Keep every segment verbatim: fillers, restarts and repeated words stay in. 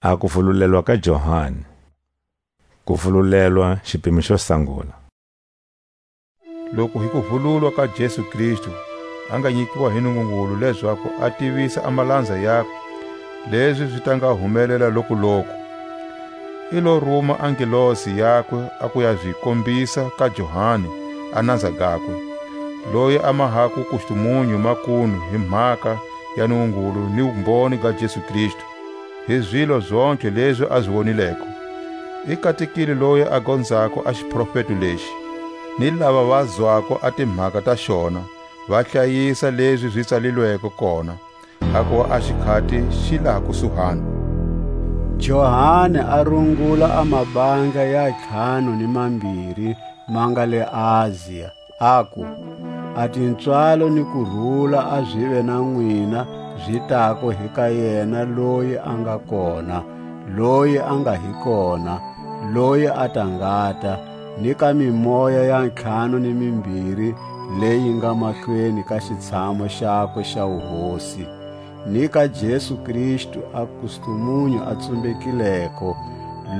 A kuvululelwa ka Johani. Kuvululelwa, xipimo xo sangula. Loku hi kuvululwa ka Jesu Kristu, a nga nyikiwa hi Nungungulu lezaku a tivisa a malanza yakwe lezi zi ta nga humelela lokuloku, i lo ruma a ngelosi yakwe a ku ya zi kombisa ka Johani a nanza gakwe, loyi a mahako kustumunyu makunu hi mhaka ya Nungungulu ni wumboni ga Jesu Kristu, hi zilo zontlhe lezi a zi wonileko. I katekile loyi a gonzako a xiprofeto lexi, ni lava va zwako a timhaka ta xona, va hlayisa lezi zi tsalilweko kona, hakuva a xikhati xi laha kusuhani. Johani a rungula a mabandla ya ntlhanu ni mambiri ma nga le Asia, aku: A tipswalo ni kurula a zive na nwina zi tako hi ka yena loyi a nga kona, loyi a nga hi kona, loyi a ta ngata, ni ka mimoya ya ntlhanu ni mimbiri leyi nga mahlweni ka xitshamo xakwe xa wuhosi, ni ka Jesu Kristu a kustumunyu a tsumbekileko,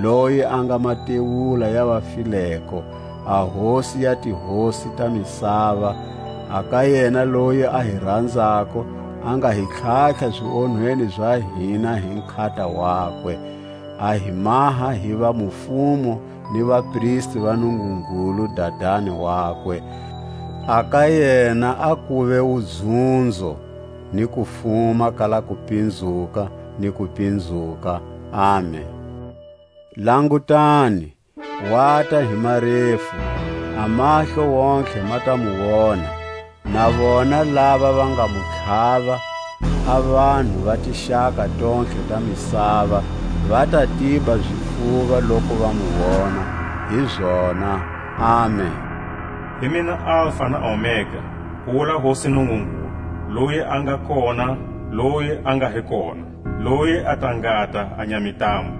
loyi a nga matewula ya vafileko, a Hosi ya tihosi ta misava, a ka yena loyi a hi ranzako, a nga hi tlhatlha zionhweni za hina hi nkhata wakwe, a hi maha hi va mufumo ni vapristi va Nungungulu Dadani wakwe. A ka yena a kuve wudzunzo, ni kufuma ka la kupinzuka ni kupinzuka. Amen. Langutani, wata hi marefu, a mahlo wontlhe ma ta mu wona, na vona lava va nga mu tlhava, a vanhu va tixaka tontlhe ta misava, va ta tiba zifuva loku va mu wona. Hi zona. Amen. Hi mina Alfa na Omega, ku wula Hosi Nungungulu, loyi a nga kona, loyi a nga hi kona, loyi a ta ngata a nyamitamo.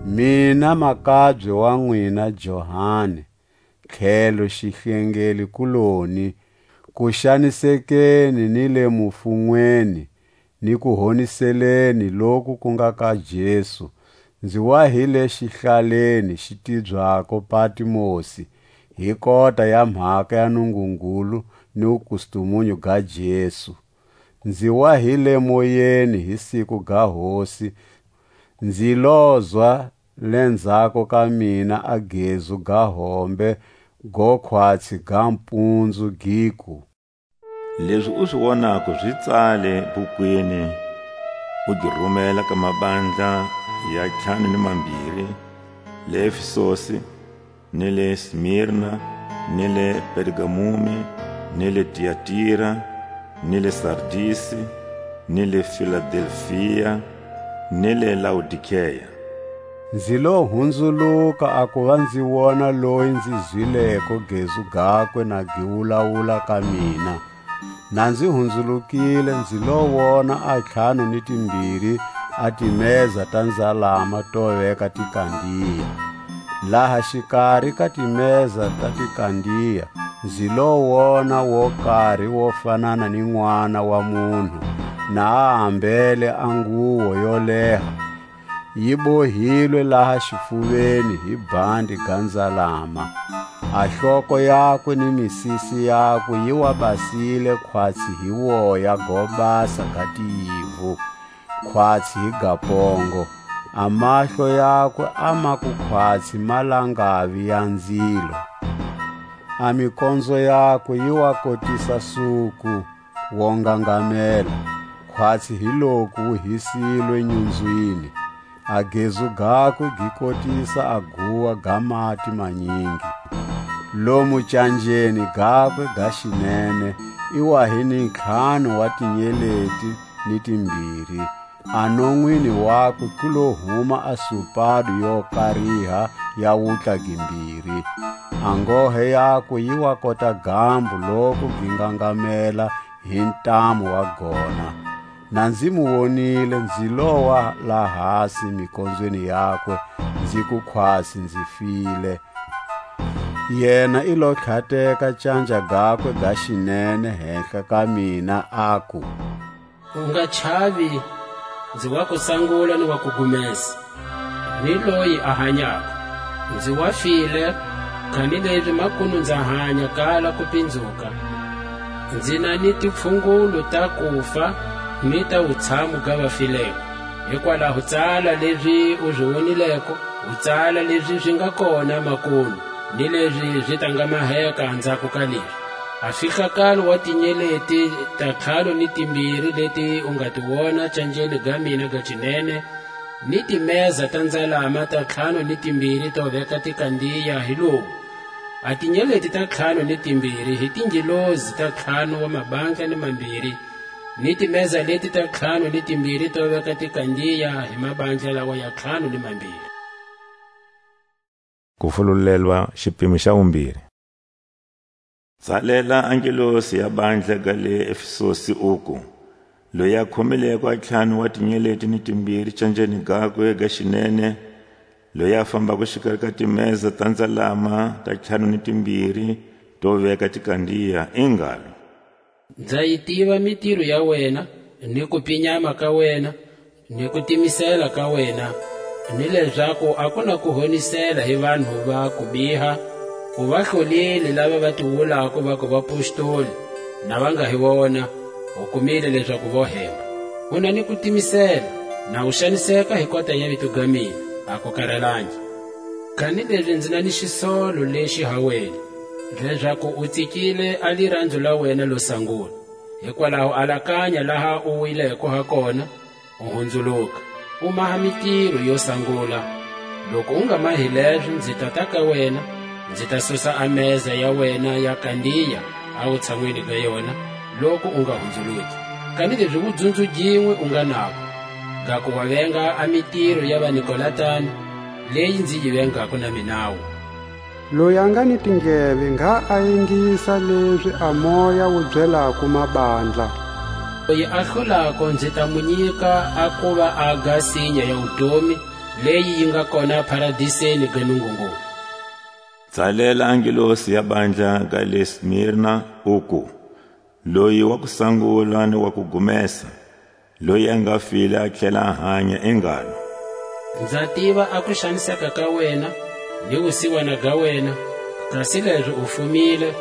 Mina makabye wa nwina Johani, tlhelo xihlengeli-kuloni, ku xanisekeni ni le mufunweni, ni ku honiseleni loku ku nga ka Jesu, nzi wa hi le xihlaleni xi tibyako Patmosi, hi kota ya mhaka ya Nungungulu ni wukustumunyu ga Jesu. Nzi wa hi le moyeni hi siku ga Hosi, nzi lozwa lenzhako ka mina a gezu ga hombe go khwatsi ga mpunzu, giku: Lezi u zi wonako zi tsale bukwini, u gi rumela ka mabandla ya ntlhanu ni mambiri, le Efesosi, ni le Smirna, ni le Pergamumi, ni le Tiatira, ni le Sardisi, ni le Filadelfia, ni le Laodikea. Nzi lo hunzuluka a kuva nzi wona loyi nzi zwileko gezu gakwe na gi wulawula ka mina. Na nzi hunzulukile, nzi lo wona a ntlhanu ni timbiri a timeza ta nzalama to veka tikandiya. Laha xikari ka timeza ta tikandiya, nzi lo wona wo kari wo fanana ni n'wana wa munhu, na a ambele a nguwo yo leha, yi bohilwe laha xifuveni hi bandi ga nzalama. A hloko yakwe ni misisi yakwe yi wa basile khwatsi hi woya go basa ga tiyivu, khwatsi hi ga pongo. A mahlo yakwe a ma ku khwatsi malangavi ya nzilo. A mikonzo yakwe yi wa kotisa suku wo ngangamela, khwatsi hi loku wu hisilwe nyunzwini. A gezu gakwe gi kotisa a guwa ga mati manyingi. Lomu canjeni gakwe ga xinene i wa hi ni ntlhanu wa tinyeleti ni timbiri. A nonwini wakwe ku lo huma a supadu yo kariha ya wutla gimbiri. A ngohe yakwe yi wa kota gambu loku gi ngangamela hi ntamu wa gona. Na nzi mu wonile, nzi lowa lahasi mikonzweni yakwe, nzi ku khwasi, nzi file. Yena i lo tlhateka canja gakwe ga xinene hehla ka mina, aku: U nga chavi, Nzi wa ku sangula ni wa ku gumesa, ni loyi a hanyako. Nzi wa file, kanilezi makunu nza hanya kala ku pinzuka. Nzi na ni tipfungulu ta kufa ni ta wutshamu ga vafileko. Hikwalaho tsala lezi u zi wonileko, u tsala lezi zi nga kona makunu, ni lezi zi ta nga maheka anzhako ka lezi. A fihlakalo wa tinyeleti ta ntlhanu ni timbiri leti u nga ti wona canjeni ga mina ga cinene, ni timeza ta nzalama ta ntlhanu ni timbiri to veka tikandiya hi lowu: a tinyeleti ta ntlhanu ni timbiri hi tingelosi ta ntlhanu wa mabandla ni mambiri, ni timeza leti ta ntlhanu ni timbiri to veka tikandiya hi mabandla lawa ya ntlhanu ni mambiri. Ku fululelwa xipimo xa wumbiri. Tsalela a ngelosi ya bandla ga le Efesosi uku: Loyi a khomileko a ntlhanu wa tinyeleti ni timbiri canjeni gakwe ga xinene, loyi a fambako xikari ka timeza ta nzalama ta ntlhanu ni timbiri to veka tikandiya, i ngalo: Nza yi tiva mitiro ya wena, ni kupinyama ka wena, ni kutimisela ka wena, ni lezaku a ku na ku honisela hi vanhu va kubiha. U va hlolile lava va ti wulako vaku vapostoli, na va nga hi vona; u kumile lezaku vo hemba. U na ni kutimisela, na u xaniseka hi kota ya vito ga mina, a ku karalangi. Kanilezi nzi na ni xisolo lexi ha wena, lezaku u tsikile a liranzo la wena lo sangula. Hikwalaho alakanya laha u wileko ha kona, u hunzuluka, u maha mitiro yo sangula. Loku u nga mahi lezo, nzi tata ka wena, nzi ta susa a meza ya wena ya kandiya a wutshanwini ga yona, loku u nga hunzuluki. Kanilezi wudzunzu ginwe u nga nago, ga ku wa venga a mitiro ya vaNikolatani, leyi nzi yi vengako na minawu. Loyi a nga ni tindleve, ngha a ingisa lezi a Moya wu byelako mabandla. Loyi a hlulako, nzi ta mu nyika a kuva a ga sinya ya wutomi, leyi yi nga kona paradiseni ga Nungungulu. Tsalela a ngelosi ya bandla ga le Smirna, uku: Loyi wa ku sangula ni wa ku gumesa, loyi a nga file a tlhela a hanya, i ngalo: Nza tiva a kuxaniseka ka wena, ni wusiwana ga wena, kasi lezi u fumile,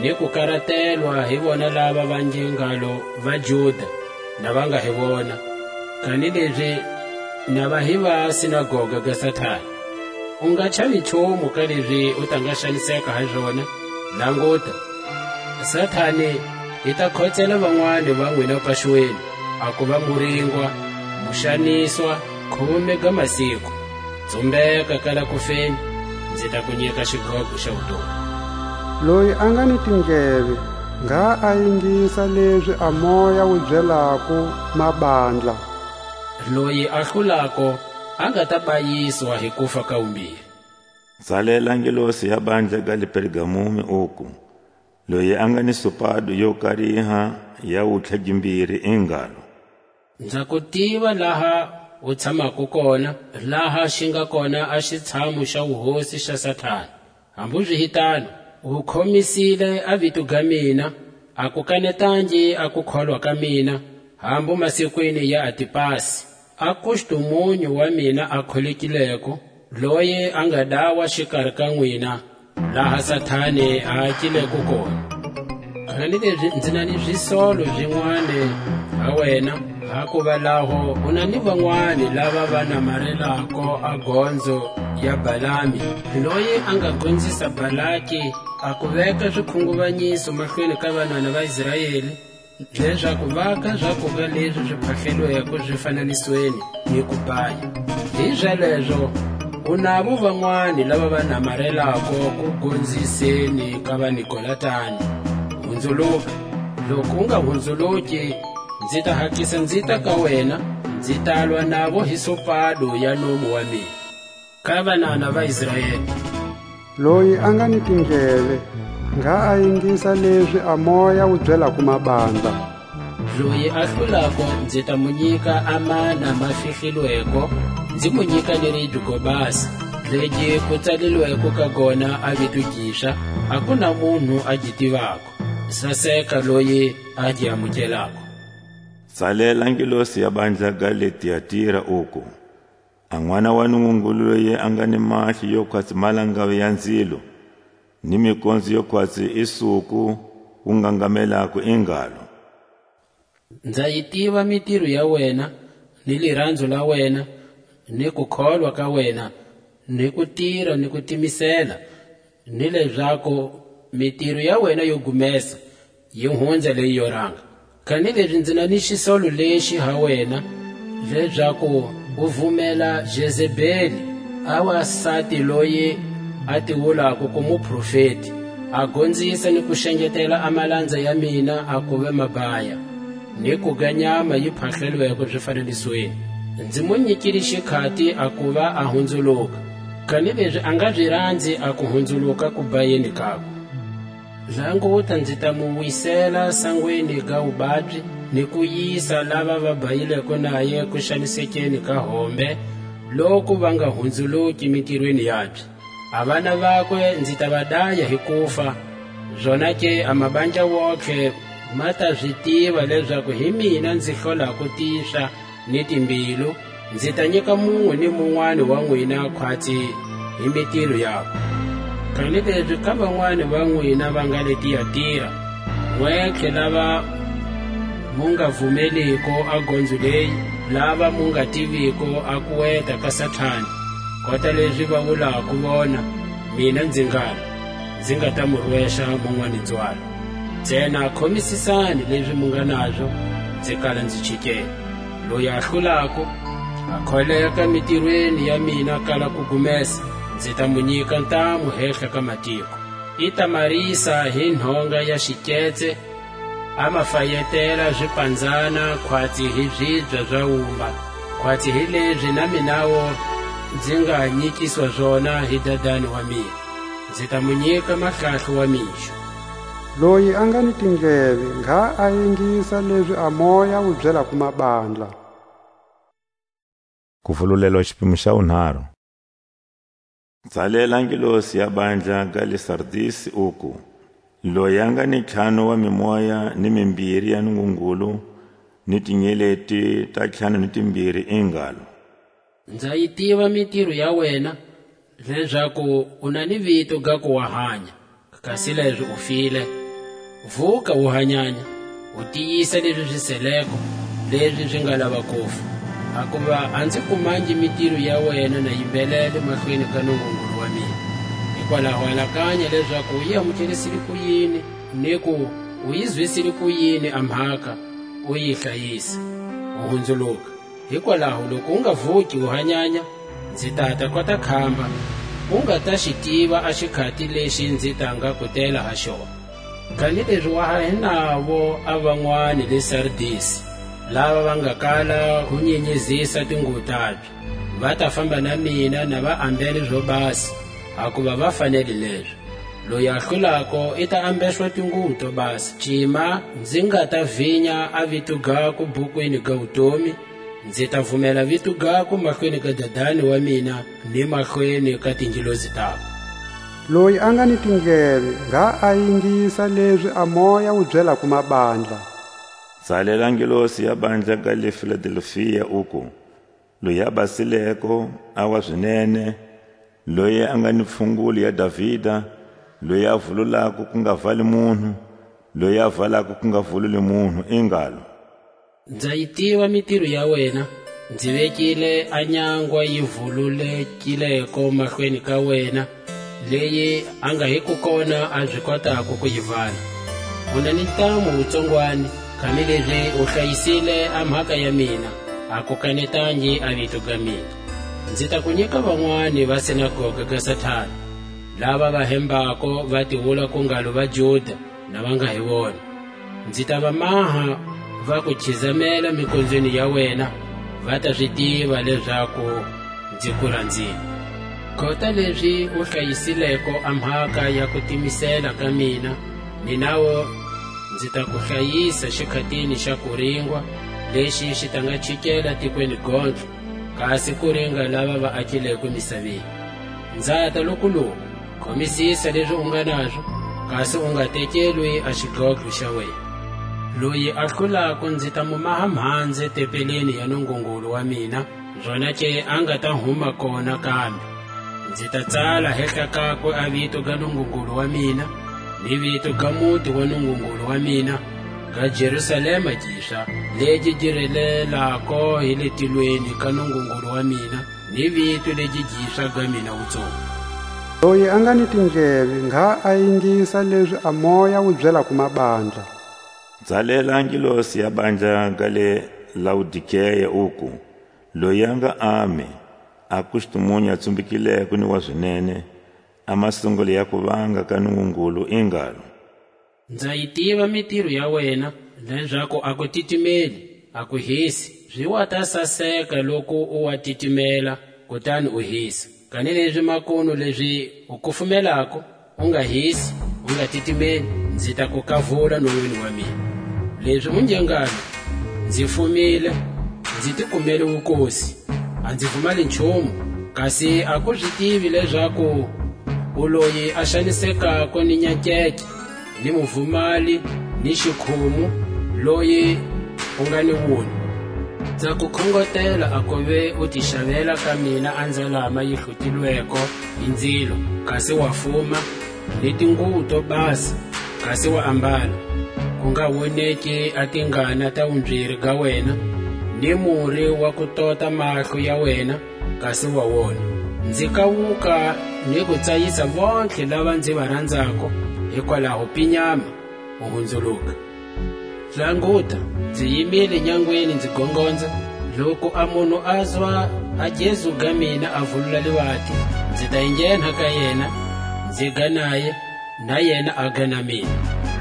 ni kukaratelwa hi vona lava va nge ngalo vaJuda, na va nga hi vona, kanilezi na va hi va sinagoga ga Satani. U nga chavi nchumu ka lezi u ta nga xaniseka ha zona. Languta, Satani i ta khotsela vanwani va nwina paxweni, a kuva mu ringwa, mu xaniswa, khume ga masiku. Tsumbeka kala kufeni, nzi ta ku nyika xigogo xa wutomi. Loyi a nga ni tindleve, ngha a ingisa lezi a Moya wu byelako mabandla. Loyi a hlulako, a nga ta bayiswa hi kufa ka wumbiri. Tsalela ngelosi ya bandla ga le Pergamumi, uku: Loyi a nga ni supado yo kariha ya wutlha gimbiri, i ngalo: Nza ku tiva laha u tshamako kona, laha xi nga kona a xitshamu xa wuhosi xa Satani. Hambu zi hi tano, u khomisile a vito ga mina, a ku kanetangi a kukholwa ka mina, hambu masikwini ya Antipasi, a kustumunyu wa mina a kholekileko, loyi a nga dawa xikari ka nwina, laha Satani a akileko kona. Kanilezi nzi na ni zisolo zinwani ha wena, hakuva laho u na ni vanwani lava va namarelako a gonzo ya Balami, loyi a nga gonzisa Balaki a ku veka zikhunguvanyiso mahlweni ka vanana va Israeli, lezaku va ka zakuga lezi zi phahlelweko zifananisweni ni kubaya. Hizalezo, u navo vanwani lava va namarelako ku gonziseni ka vaNikolatani. Hunzuluka. Loku u nga hunzuluki, nzi ta hatlisa nzi ta ka wena, nzi ta lwa navo hi sopado ya nomu wa mina. Ka vanana va Israeli. Loyi a nga ni tindleve, ngha a ingisa lezi a Moya wu byelako mabandla. Loyi a hlulako, nzi ta mu nyika a mana ma fihlilweko, nzi mu nyika ni ribye go basa, legi ku tsalilweko ka gona a vito giswa, a ku na munhu a gi tivako. Saseka loyi a gi amukelako. Tsalela ngelosi ya bandla ga le Tiatira, uku: A N'wana wa Nungungulu loyi a nga ni mahlo yo khwatsi malangavi ya nzilo, ni mikonzo yo khwatsi i suku wu ngangamelako, i ngalo: Nza yi tiva mitiro ya wena, ni liranzo la wena, ni kukholwa ka wena, ni kutira ni kutimisela, ni lezaku mitiro ya wena yo gumesa yi hunza leyi yo ranga. Kanilezi nzi na ni xisolo lexi ha wena, lezaku u vumela Jezebeli, a wasati loyi a ti wulako ku muprofeti, a gonzisa ni ku xengetela a malanza ya mina a kuva mabaya, ni ku ga nyama yi phahlelweko zifanenisweni. Nzi mu nyikile xikhati a kuva a hunzuluka, kanilezi a nga zi ranzi a ku hunzuluka ku bayeni kakwe. Languta, nzi ta mu wisela sangweni ga wubabyi, ni ku yisa lava va bayileko naye kuxanisekeni ka hombe, loku va nga hunzuluki mitirweni yabye. A vana vakwe nzi ta va daya hi kufa, zonake a mabandla wontlhe ma ta zi tiva lezaku hi mina nzi hlolako tixa ni timbilu, nzi ta nyika munwe ni munwani wa nwina khwatsi hi mitiro yakwe. Kanilezi ka vanwani va nwina va nga le Tiatira, nwentlhe lava mu nga vumeliko a gonzo leyi, lava mu nga tiviko a kuweta ka Satani, kota lezi va wulako vona, mina nzi ngalo, nzi nga ta mu rwexa munwani nzwalo. Ntsena khomisisani lezi mu nga nazo, nzi kala nzi chikele. Loyi a hlulako, a kholeka mitirweni ya mina kala ku gumesa, nzi ta mu nyika ntamu hehla ka matiko. I ta marisa hi nhonga ya xiketse, a ma fayetela zipanzana khwatsi hi zibya za wumba, khwatsi hi lezi na minawu nzi nga nyikiswa zona hi Dadani wa mina. Nzi ta mu nyika mahlahlo wa mixo. Loyi a nga ni tindleve, ngha a ingisa lezi a Moya wu byelako mabandla. Kuvululelwa xipimo xa wunharhu. Tsalela ngelosi ya bandla ga le Sardisi, uku: Loyi a nga ni ntlhanu wa mimoya ni mimbiri ya Nungungulu, ni tinyeleti ta ntlhanu ni timbiri, i ngalo: Nza yi tiva mitiro ya wena, lezaku u na ni vito ga ku wa hanya, kasi lezi u file. Vuka, u hanyanya, u tiyisa lezi zi seleko, lezi zi nga lava kufa. Hakuva a nzi kumangi mitiro ya wena na yi mbelele mahlweni ka Nungungulu wa mina. Hikwalaho alakanya lezaku u yi amukerisile kuyini, ni ku u yi zwisile kuyini a mhaka, u yi hlayisa, u hunzuluka. Hikwalaho loku u nga vuki u hanyanya, nzi tata kota khamba, u nga ta xi tiva a xikhati lexi nzi ta nga ku tela ha xona. Kanilezi wa ha hi navo a vanwani le Sardisi, lava va nga kala ku nyenyezisa tinguwo tabye, va ta famba na mina na va ambele zo basa, hakuva va fanele lezo. Loyi a hlulako i ta ambeswa tinguwo to basa. Cima, nzi nga ta vinya a vito gakwe bukwini ga wutomi, nzi ta vumela vito gakwe mahlweni ka Dadani wa mina, ni mahlweni ka tingelosi takwe. Loyi a nga ni tindleve, ngha a yingisa lezi a Moya wu byelako mabandla. Tsalela ngelosi ya bandla ga le Filadelfia, uku: Loyi a basileko, a wa zinene, loyi a nga ni pfhunguli ya Davida, loyi a vululako ku nga vali munhu, loyi a valako ku nga vululi munhu, i ngalo: Nza yi tiva mitiro ya wena, nzi vekile a nyangwa yi vululekileko mahlweni ka wena, leyi a nga hi ku kona a zi kotako ku yi vala. U na ni ntamu wutsongwani, kanilezi u hlayisile a mhaka ya mina, a ku kanetangi a vito ga mina. Nzi ta ku nyika vanwani va sinagoga ga Satana, lava va hembako va tiwula ku ngalo va Juda, na va nga hi vona. Nzi ta va maha va ku khizamela mikonzweni ya wena, va ta zi tiva lezaku nzi ku ranzile. Kota lezi u hlayisileko a mhaka ya ku timisela ka mina, ni nawo nzi ta ku hlayisa xikhatini xa kuringwa, lexi xi ta nga chikela tikweni gondzo, kasi ku ringa lava va akileko misaveni. Nzata lokuloku, khomisisa lezi u nga nazo, kasi u nga tekelwi a xidlodlo xa wena. Loyi a hlulako nzi ta mu maha mhanze tempeleni ya Nungungulu wa mina, zonake a nga ta huma kona kambe. Nzi ta tsala hehla kakwe a vito ga Nungungulu wa mina, ni vito ga muti wa Nungungulu wa mina, ga Jerusalema giswa, legi gi relelako hi le tilweni ka Nungungulu wa mina, ni vito legi giswa ga mina wutsongo. Loyi a nga ni tindleve, ngha a ingisa lezi a Moya wu byelako mabandla. Tsalela a ngelosi ya bandla ga le Laodikea, uku: Loyi a nga Ame, a kustumunyu a tsumbekileko ni wa zinene, a masungulo ya kuvanga ka Nungungulu, i ngalo: Nza yi tiva mitiro ya wena, lezaku a ku titimeli, a ku hisi. Zi wa ta saseka loku u wa titimela, kutani u hisa. Kanilezi makunu lezi u kufumelako, u nga hisi, u nga titimeli, nzi ta ku kavula nonweni wa mina. Lezi u nge ngalo: Nzi fumile, nzi ti kumele wukosi, a nzi vumali nchumu, kasi a ku zi tivi lezaku u loyi a xanisekako ni nyakeke, ni muvumali, ni xikhumu, loyi u nga ni wunwa. Nza ku khongotela a kuve u ti xavela ka mina a nzalama yi hlutilweko hi nzilo, kasi wa fuma, ni tinguwo to basa, kasi wa ambala, ku nga woneki a tingana ta wumbiri ga wena, ni muri wa ku tota mahlo ya wena, kasi wa wona. Nzi kawuka ni ku tsayisa vontlhe lava nzi va ranzako, hikwalaho pinyama, u hunzuluka. Languta, nzi yimile nyangweni nzi gongonza, loku a munhu azwa a gezu ga mina a vulula livati, nzi ta enghenha ka yena, nzi ga naye, na yena a ga na mina.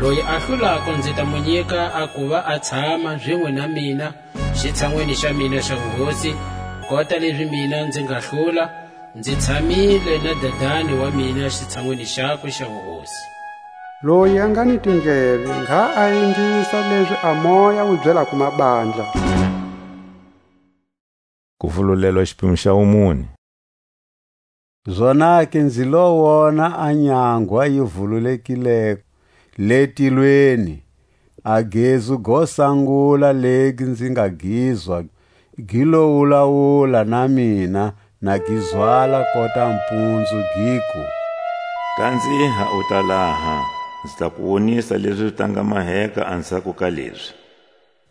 Loyi a hlulako nzi ta mu nyika a kuva a tshama zinwe na mina xitshanwini xa mina xa wuhosi, kota lezi mina nzi nga hlula, nzi tshamile na Dadani wa mina xitshanwini xakwe xa wuhosi. Loyi a nga ni tindleve, ngha a ingisa lezi a Moya wu byelako mabandla. Kuvululelwa xipimo xa wumune. Zonake nzi lo wona a nyangwa yi vululekileko le tilweni, a gezu go sangula legi nzi nga gizwa, gi lo wulawula na mina, na gi zwala kota mpunzu, giku: Kanziha u ta laha, nzi ta ku wonisa lezi zi ta nga maheka anzhako ka lezi.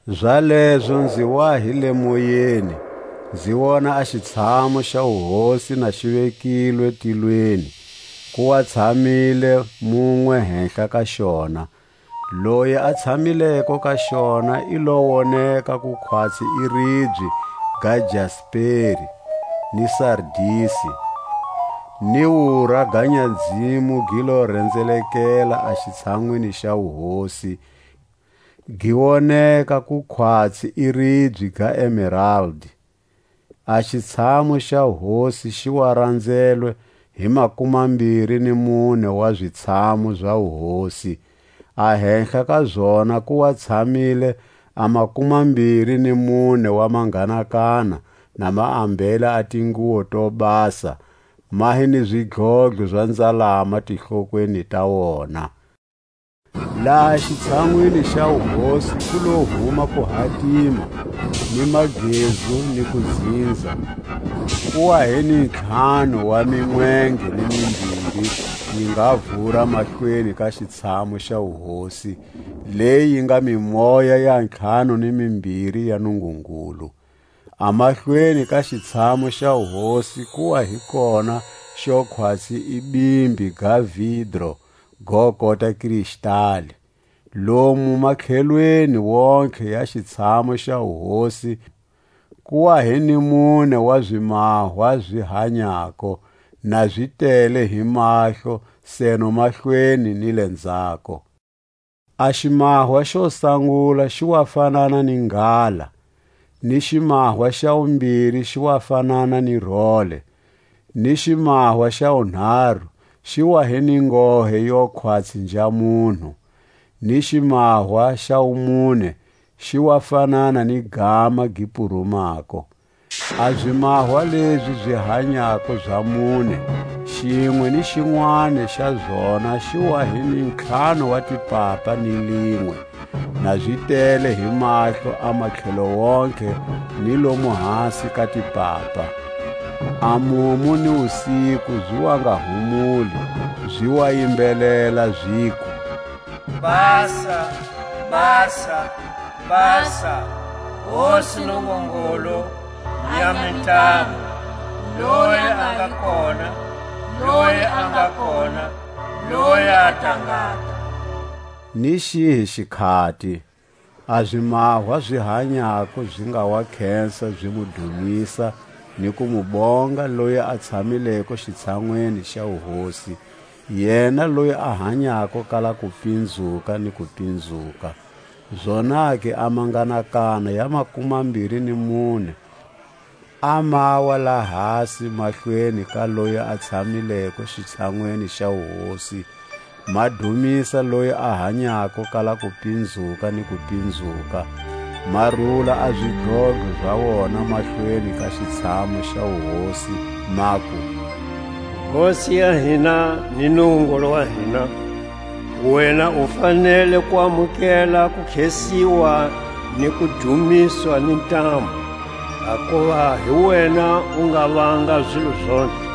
Zalezo nzi wa hi le moyeni, nzi wona a xitshamu xa wuhosi na xi vekilwe tilweni, ku wa tshamile munwe henhla ka xona. Loyi a tshamileko ka xona i lo woneka ku khwatsi i ribye ga jasperi ni sardisi, ni wura ga nyadzimu gi lo rendzelekela a xitshanwini xa wuhosi, gi woneka ku khwatsi i ribye ga emeraldi. A xitshamu xa hosi xi wa randzelwe hi makumambiri ni mune wa zitshamu za wuhosi, a henhla ka zona ku wa tshamile a makumambiri ni mune wa manganakana, na ma ambele a tinguwo to basa, ma hi ni zidlodlo za nzalama tihlokweni ta wona. Laha xitshanwini xa wuhosi ku lo huma kuhatima, ni magezu, ni kuzinza. Ku wa hi ni ntlhanu wa minwenge ni mimbiri, yi nga vura mahlweni ka xitshamu xa wuhosi, leyi nga mimoya ya ntlhanu ni mimbiri ya Nungungulu. A mahlweni ka xitshamu xa wuhosi ku wa hi kona xo khwatsi i bimbi ga vidro, go kota kristali. Lomu matlhelweni wontlhe ya xitshamu xa wuhosi ku wa hi ni mune wa zimahwa zi hanyako, na zi tele hi mahlo, seno mahlweni ni le ndzhako. A ximahwa xo sangula xi wa fanana ni nghala, ni ximahwa xa wumbiri xi wa fanana ni role, ni ximahwa xa wunharu xi wa hi ni ngohe yo khwatsi nja munhu, ni ximahwa xa wumune xi wa fanana ni gama gi purumako. A zimahwa lezi zi hanyako za mune, xinwe ni xinwani xa zona xi wa hi ni ntlhanu wa tipapa ni linwe, Na zi tele hi mahlo a matlhelo wontlhe ni lomu hasi ka tipapa. A mumu ni wusiku zi wa nga humuli, zi wa yimbelela, ziku: Basa, basa, basa, Hosi Nungungulu ya mintamu, loyi a nga kona, loyi a nga kona, loyi a ta ngata. Ni xihi xikhati, a zimahwa zi hanyako zi nga wa khensa zi mu dumisa ni ku mu bonga loyi a tshamileko xitshanwini xa wuhosi, yena loyi a hanyako kala kupinzuka ni kupinzuka. Zonake a manganakana ya makumambiri ni mune a mawa lahasi mahlweni ka loyi a tshamileko xitshanwini xa wuhosi, ma dumisa loyi a hanyako kala kupinzuka ni kupinzuka, ma rula a zidlodlo za wona mahlweni ka xitshamu xa wuhosi, maku: Hosi ya hina ni Nungungulu wa hina, wena u fanele ku amukela ku khesiwa ni ku dumiswa ni ntamu, hakuva hi wena u nga vanga zilo zontlhe,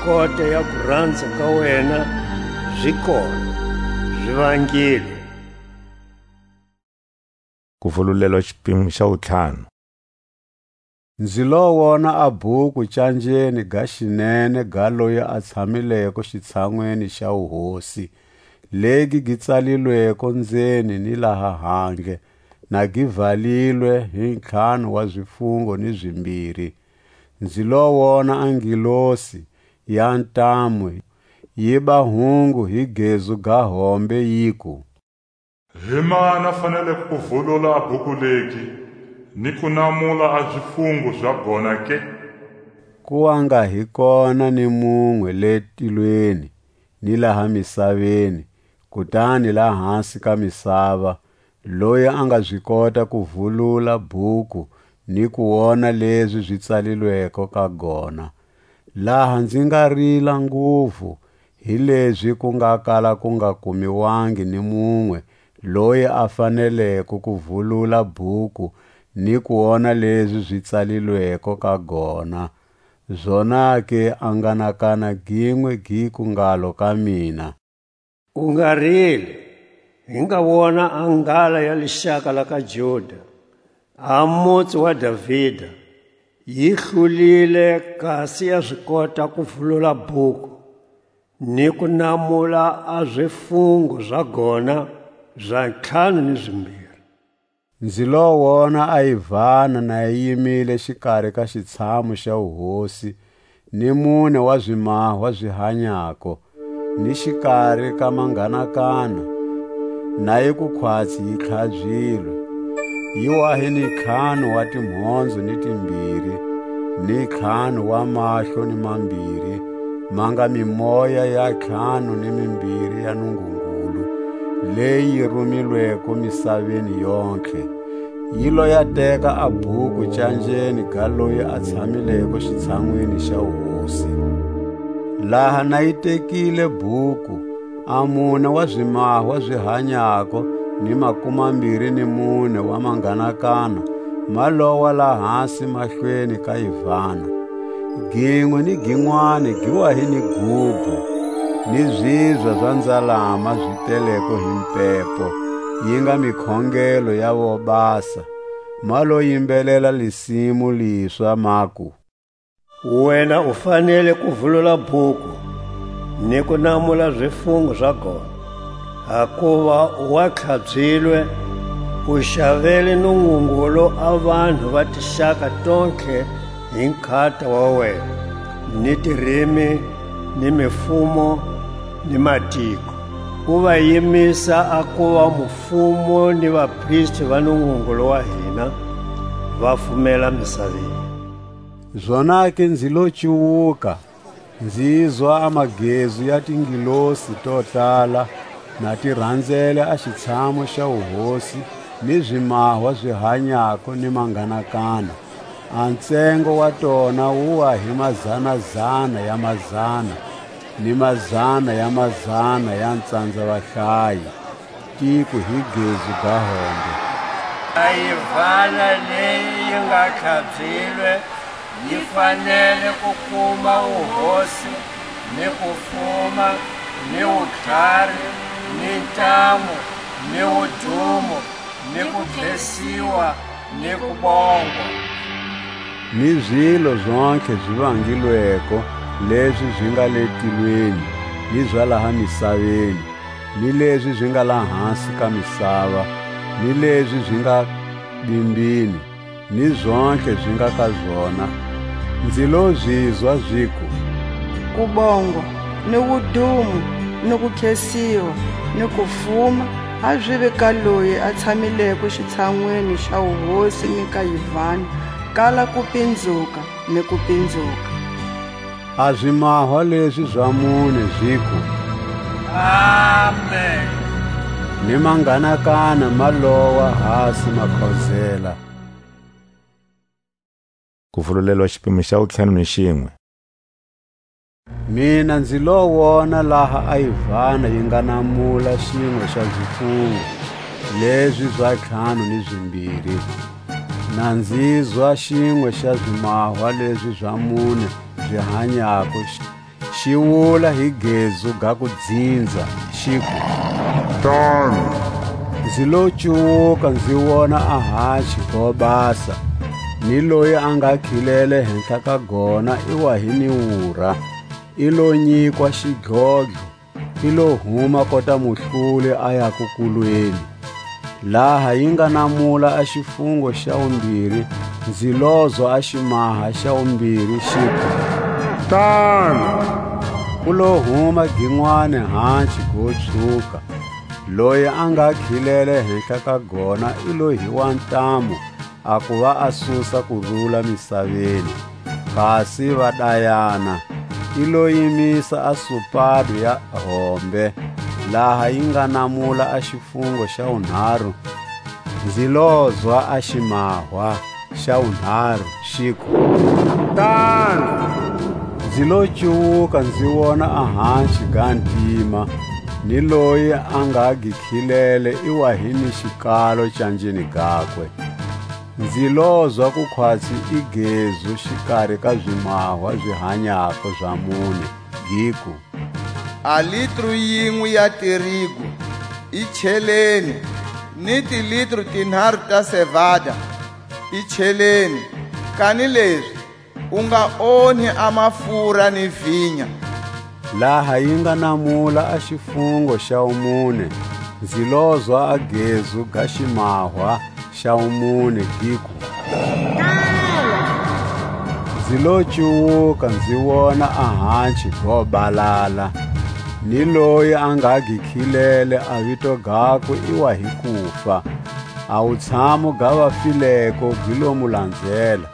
kota ya kuranza ka wena zi kona, zi vangilwe. Kuvululelwa xipimo xa wutlhanu. Nzi lo wona a bhuku canjeni ga xinene ga loyi a tshamileko xitshanwini xa wuhosi, legi gi tsalilweko nzeni ni laha handle, na gi valilwe hi ntlhanu wa zifungo ni zimbiri. Nzi lo wona a ngilosi ya ntamu yi ba hungu hi gezu ga hombe, yiku: Hi mani a faneleko ku vulula a bhuku legi, ni ku namula a zifungo za gona ke? Ku wa nga hi kona ni munwe le tilweni, ni laha misaveni, kutani lahasi ka misava, loyi a nga zi kota ku vulula bhuku ni ku wona lezi zi tsalilweko ka gona. Laha nzi nga rila nguvu, hilezi ku nga kala ku nga kumiwangi ni munwe loyi a faneleko ku vulula bhuku ni ku wona lezi zi tsalilweko ka gona. Zonake a nganakana ginwe giku ngalo ka mina: U nga rili, hi nga wona a ngala ya lixaka la ka Juda, a mutsi wa Davida, yi hlulile, kasi ya zi kota ku vulula bhuku, ni ku namula a zifungo za gona za ntlhanu ni zimbiri. Nzi lo wona a yivana na yi yimile xikari ka xitshamu xa wuhosi, ni mune wa zimahwa zi hanyako, ni xikari ka manghanakana, na yi ku khwatsi yi tlhabyilwe. Yi wa hi ni ntlhanu wa timhondzo ni timbiri, ni ntlhanu wa mahlo ni mambiri, ma nga mimoya ya ntlhanu ni mimbiri ya Nungungulu, leyi yi rumilweko misaveni yontlhe. Yi lo ya teka a bhuku canjeni ga loyi a tshamileko xitshanwini xa wuhosi. Laha na yi tekile bhuku, a mune wa zimahwa zi hanyako ni makumambiri ni mune wa manghanakana ma lowa lahasi mahlweni ka yivana. Ginwe ni ginwani gi wa hi ni gubhu, ni zibya za nzalama zi teleko hi mpepo, yi nga mikhongelo ya vobasa, ma lo yimbelela lisimu liswa, maku: Wena u fanele ku vulula bhuku, ni ku namula zifungo za gona, hakuva wa tlhabyilwe, u xavele Nungungulu a vanhu va tixaka tontlhe hi nkhata wa wena, ni tirimi, ni mifumo, ni matiko. U va yimisa a kuva mufumo ni vapristi va Nungungulu wa hina, va fumela misaveni. Zonake nzi lo cuwuka, nzizwa a magezu ya tingilosi to tala, na ti ranzele a xitshamu xa wuhosi, ni zimahwa zi hanyako ni manganakana. A ntsengo wa tona wu wa hi mazana-zana ya mazana, ni mazana ya mazana ya ntsandza vahlayi. Tiku hi gezu ga hombe: A yivana leyi yi nga tlhabzilwe yi fanele ku kuma wuhosi, ni kufuma, ni wutlhari, ni ntamu, ni wudumo, ni ku khesiwa, ni kubongwa. Ni zilo zontlhe zi vangilweko, lezi zi nga le tilweni, ni za laha misaveni, ni lezi zi nga lahasi ka misava, ni lezi zi nga bimbini, ni zontlhe zi nga ka zona, nzi lo zizwa ziku: Kubongwa, ni wudumo, ni kukhesiwa, ni kufuma, ha zivi ka loyi a tshamileko xitshanwini xa wuhosi ni ka yivana, kala kupinzuka ni kupinzuka. A zimahwa lezi za mune ziku: Amen. Ni manganakana ma lowa hasi ma khozela. Kuvululelwa xipimo xa wutlhanu ni xinwe. Mina nzi lo wona laha a yivana yi nga namula xinwe xa zifuwo lezi za ntlhanu ni zimbiri. Na nzizwa xinwe xa zimahwa lezi za mune zi hanyako xi, xi wula hi gezu ga kudzinza, xiku: Tani! Nzi lo cuwuka, nzi wona a hachi go basa, ni loyi a nga khilele hehla ka gona i wa hi ni wura, i lo nyikwa xidlodlo, i lo huma kota muhlule a ya kukulweni. Laha yi nga namula a xifungo xa wumbiri, nzi lozwa a ximaha xa wumbiri xiku: Tana! Ku lo huma ginwani hanci go tshuka. Loyi a nga khilele hehla ka gona i lo hiwa ntamu, a kuva a susa kurula misaveni. Kasi va dayana, i lo yimisa a supado ya hombe, laha yi nga namula a xifungo xa wunharu. Nzi lozwa a ximahwa xa wunharu xiku: Tana! Nzi lo cuwuka, nzi wona a hanci ga ntima, ni loyi a nga gi khilele i wa hi ni xikalo canjeni gakwe. Nzi lozwa ku khwatsi i gezu xikari ka zimahwa zi hanyako za mune, giku: A litru yinwe ya tirigu i cheleni, ni tilitru tinharu ta sevada i cheleni, kanilezi u nga onhi a mafura ni vinya. Laha yi nga namula a xifungo xa wumune, nzi lozwa a gezu ga ximahwa xa wumune giku: Nzi lo cuwuka, nzi wona a hanci go balala, ni loyi a nga gi khilele a vito gakwe i wa hi kufa. A wutshamo ga vafileko gi lo mu lanzela.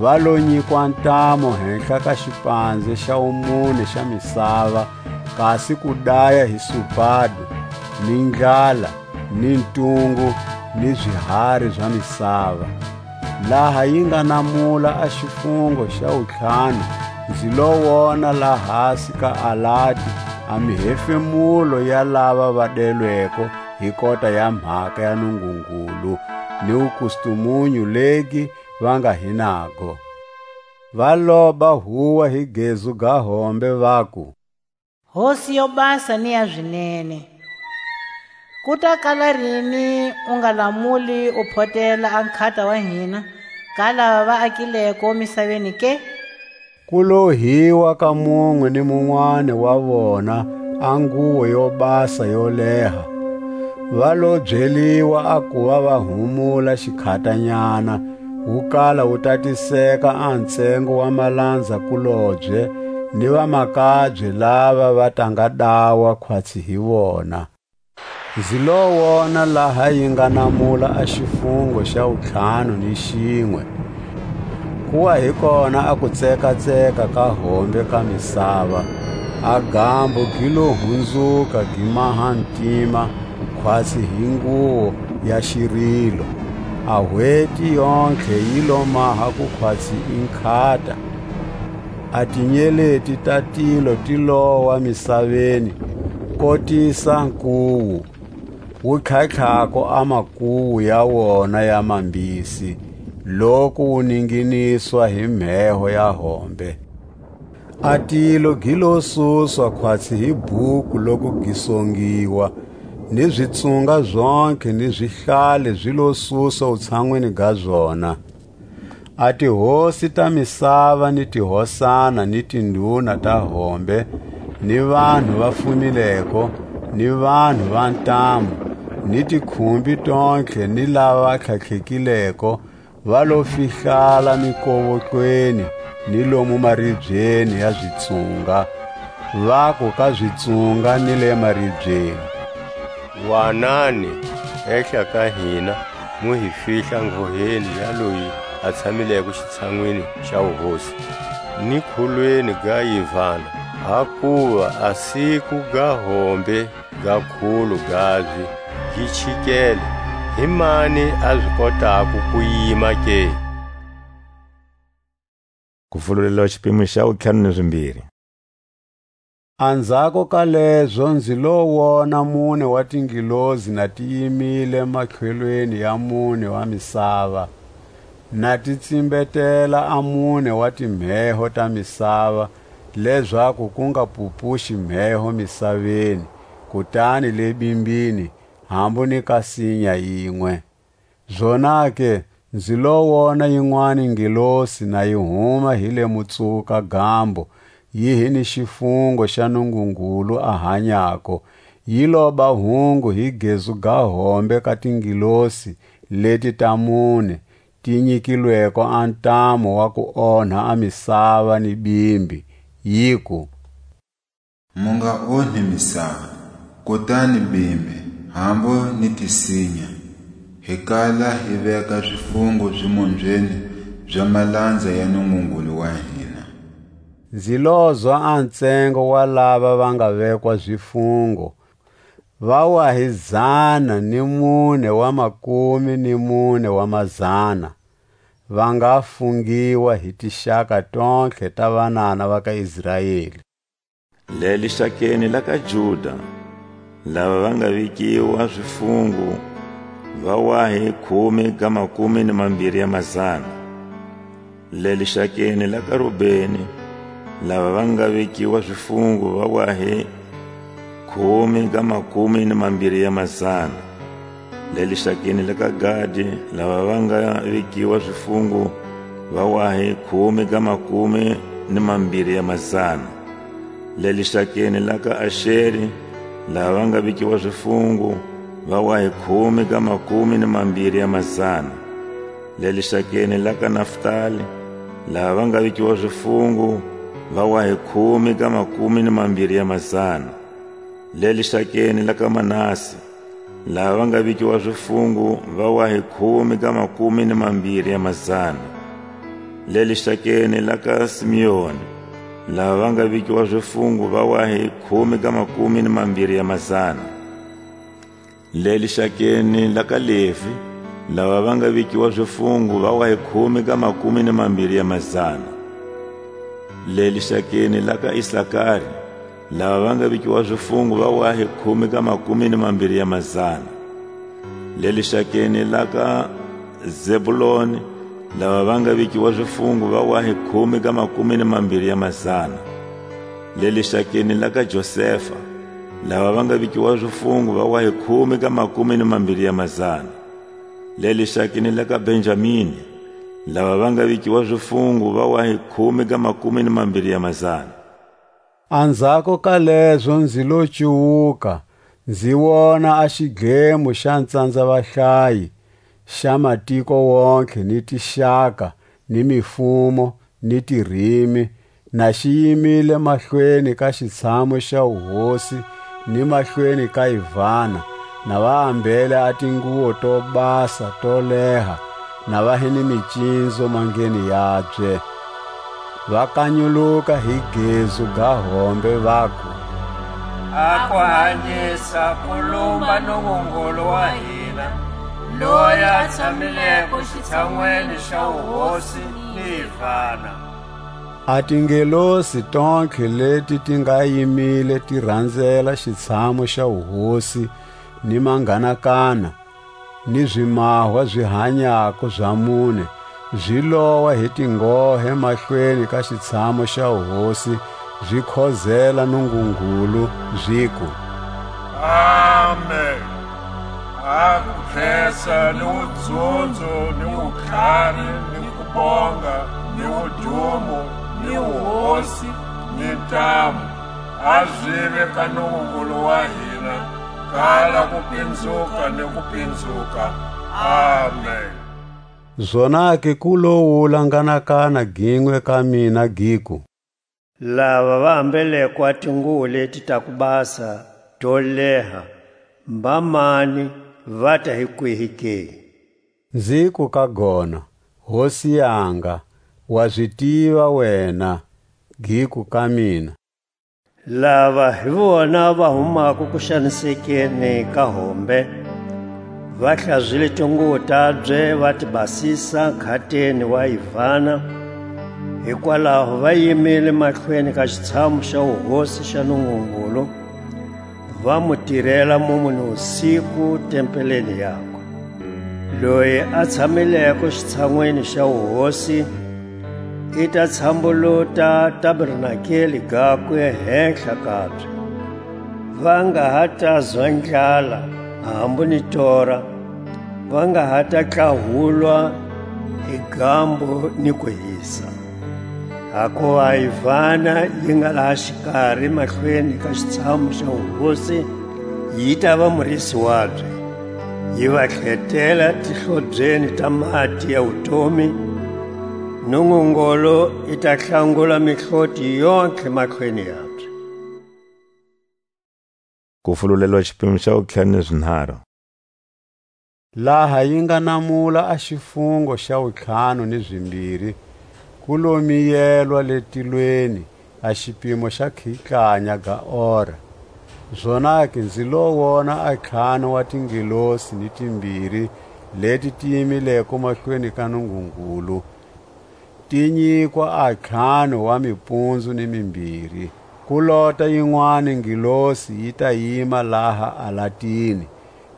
Va lo nyikwa ntamu hehla ka xipanze xa wumune xa misava, kasi ku daya hi supado, ni ndlala, ni ntungu, ni zihari za misava. Laha yi nga namula a xifungo xa wuntlhanu, nzi lo wona lahasi ka alati a mihefemulo ya lava va delweko hi kota ya mhaka ya Nungungulu, ni wukustumunyu legi va nga hi nago. Va loba huwa hi gezu ga hombe, vaku: Hosi yo basa ni ya zinene, ku ta kala rini u nga lamuli u photela a nkhata wa hina ka lava va akileko misaveni ke? Ku lo hiwa ka munwe ni munwani wa vona a nguwo yo basa yo leha, va lo byeliwa a kuva va humula xikhatanyana, wu kala wu tatiseka a ntsengo wa malanza-kulobye ni vamakabye lava va ta nga dawa khwatsi hi vona. Nzi lo wona laha yi nga namula a xifungo xa wuntlhanu ni xinwe. Ku wa hi kona a kutseka-tseka ka hombe ka misava, a gambo gi lo hunzuka gi maha ntima khwatsi hi nguwo ya xirilo, a hweti yontlhe yi lo maha ku khwatsi i nkhata. A tinyeleti ta tilo ti lowa misaveni, kotisa nkuwu. wu tlhatlhako a makuwu ya wona ya mambisi, loku wu ninginiswa hi mheho ya hombe. A tilo gi lo suswa khwatsi hi bhuku loku gi songiwa, ni zitsunga zontlhe ni zihlale zi lo suswa wutshanwini ga zona. A tihosi ta misava, ni tihosana, ni tinduna ta hombe, ni vanhu va fumileko, ni vanhu va ntamu, ni tikhumbi tontlhe, ni lava va tlhatlhekileko, va lo fihlala mikovotlweni ni lomu maribyeni ya zitsunga, vaku ka zitsunga ni le maribyeni: Wanani, ehla ka hina, mu hi fihla nghoheni ya loyi a tshamileko xitshanwini xa wuhosi, ni khulweni ga yivana, hakuva a siku ga hombe ga khulu gabye gi chikele. Hi mani a zi kotako ku yima ke? Kuvululelo, xipimo xa wutlhanu ni zimbiri. Anzhako ka lezo nzi lo wona mune wa tingilozi na ti yimile matlhelweni ya mune wa misava, na ti tsimbetela a mune wa timheho ta misava, lezaku ku nga pupuxi mheho misaveni, kutani le bimbini, hambu ni ka sinya yinwe. Zonake, nzi lo wona yinwani ngelosi na yi huma hi le mutsuka gambo, yi hi ni xifungo xa Nungungulu a hanyako, yi loba hungu hi gezu ga hombe ka tingelosi leti ta mune, ti nyikilweko a ntamu wa ku onha a misava ni bimbi, yiku: Mu nga onhi misava, kutani bimbi, hambu ni tisinya, hi kala hi veka zifungo zimonzweni za malanza ya Nungungulu wa hina. Nzi lozwa a ntsengo wa lava va nga vekwa zifungo, va wa hi zana ni mune wa makumi ni mune wa mazana, va nga fungiwa hi tixaka tontlhe ta vanana va ka Israeli. Le lixakeni la ka Juda, lava va nga vikiwa zifungu va wa hi khume ga makumi ni mambiri ya mazana. Le lixakeni la ka Rubeni, lava va nga vikiwa zifungu va wa hi khume ga makumi ni mambiri ya mazana. Le lixakeni la ka Gadi, lava va nga vikiwa zifungu va wa hi khume ga makumi ni mambiri ya mazana. Le lixakeni la ka Axeri, lava va nga vikiwa zifungu va wa hi khume ga makumi ni mambiri ya mazana. Le lixakeni la ka Naftali, lava va nga vikiwa zifungu va wa hi khume ga makumi ni mambiri ya mazana. Le lixakeni la ka Manase, lava va nga vikiwa zifungu va wa hi khume ga makumi ni mambiri ya mazana. Le lixakeni la ka Simeoni, lava va nga vikiwa zifungu va wa hi khume ga makumi ni mambiri ya mazana. Le lixakeni la ka Levi, lava va nga vikiwa zifungu va wa hi khume ga makumi ni mambiri ya mazana. Le lixakeni la ka Isakari, lava va nga vikiwa zifungu va wa hi khume ga makumi ni mambiri ya mazana. Le lixakeni la ka Zebuloni, lava va nga vikiwa zifungu va wa hi khume ga makumi ni mambiri ya mazana. Le lixakeni la ka Josefa, lava va nga vikiwa zifungu va wa hi khume ga makumi ni mambiri ya mazana. Le lixakeni la ka Benjamini, lava va nga vikiwa zifungu va wa hi khume ga makumi ni mambiri ya mazana. Anzhako ka lezo nzi lo cuwuka, nzi wona a xidlemo xa ntsandza vahlayi, xa matiko wontlhe, ni tixaka, ni mifumo, ni tirimi, na xi yimile mahlweni ka xitshamu xa wuhosi, ni mahlweni ka Ivana, na va ambele a tinguwo to basa to leha, na va hi ni micinzo mandleni yabye. Va kanyuluka hi gezu ga hombe, vaku: A ku hanyisa, ku lumba Nungungulu wa hina, loyi a tshamileko xitshanwini xa wuhosi ni Ivana. A tingelosi tontlhe leti ti nga yimile ti ranzela xitshamu xa wuhosi, ni manganakana, ni zimahwa zi hanyako za mune, zi lowa hi tinghohe mahlweni ka xitshamo xa wuhosi, zi khozela Nungungulu, ziku: Amen. A ku khesa ni wudzunzo ni wutlhari ni kubonga ni wudumo ni wuhosi ni ntamu, a zive ka Nungungulu wa hina, kala kupinzuka ni kupinzuka. Amen. Zonake ku lo wula nganakana ginwe ka mina, giku: Lava va ambeleko a tinguwo leti ta ku basa to leha, mba mani, vata hi kwihi ke? Nziku ka gona: Hosi yanga, wa zi tiva wena. Giku ka mina: Lava hi vona va humako kuxanisekeni ka hombe, va hlazwile tinguwo tabye, va ti basisa nkhateni wa yivana, hikwalaho va yimile mahlweni ka xitshamu xa wuhosi xa Nungungulu, va mu tirela mumu ni wusiku tempeleni yakwe. Loyi a tshamileko xitshanwini xa wuhosi, i ta tshambuluta tabernakeli gakwe hehla kabye. Va nga ha ta zwa ndlala, hambu ni tora, va nga ha ta tlahulwa hi gambo ni ku hisa. Hakuva a yivana yi nga laha xikari mahlweni ka xitshamu xa wuhosi, yi ta va murisi wabye, yi va tlhetela tihlobyeni ta mati ya wutomi, Nungungulu i ta hlangula mihloti yontlhe mahlweni yabye. Kufululelwa xipimo xa wutlhanu ni zinharu. Laha yi nga namula a xifungo xa wutlhanu ni zimbiri, ku lo miyelwa le tilweni a xipimo xa khitlanya ga ora. Zonake nzi lo wona a ntlhanu wa tingelosi ni timbiri leti ti yimileko mahlweni ka Nungungulu, ti nyikwa a ntlhanu wa mipundzu ni mimbiri. Ku lota yinwani ngelosi yi ta yima laha alatini,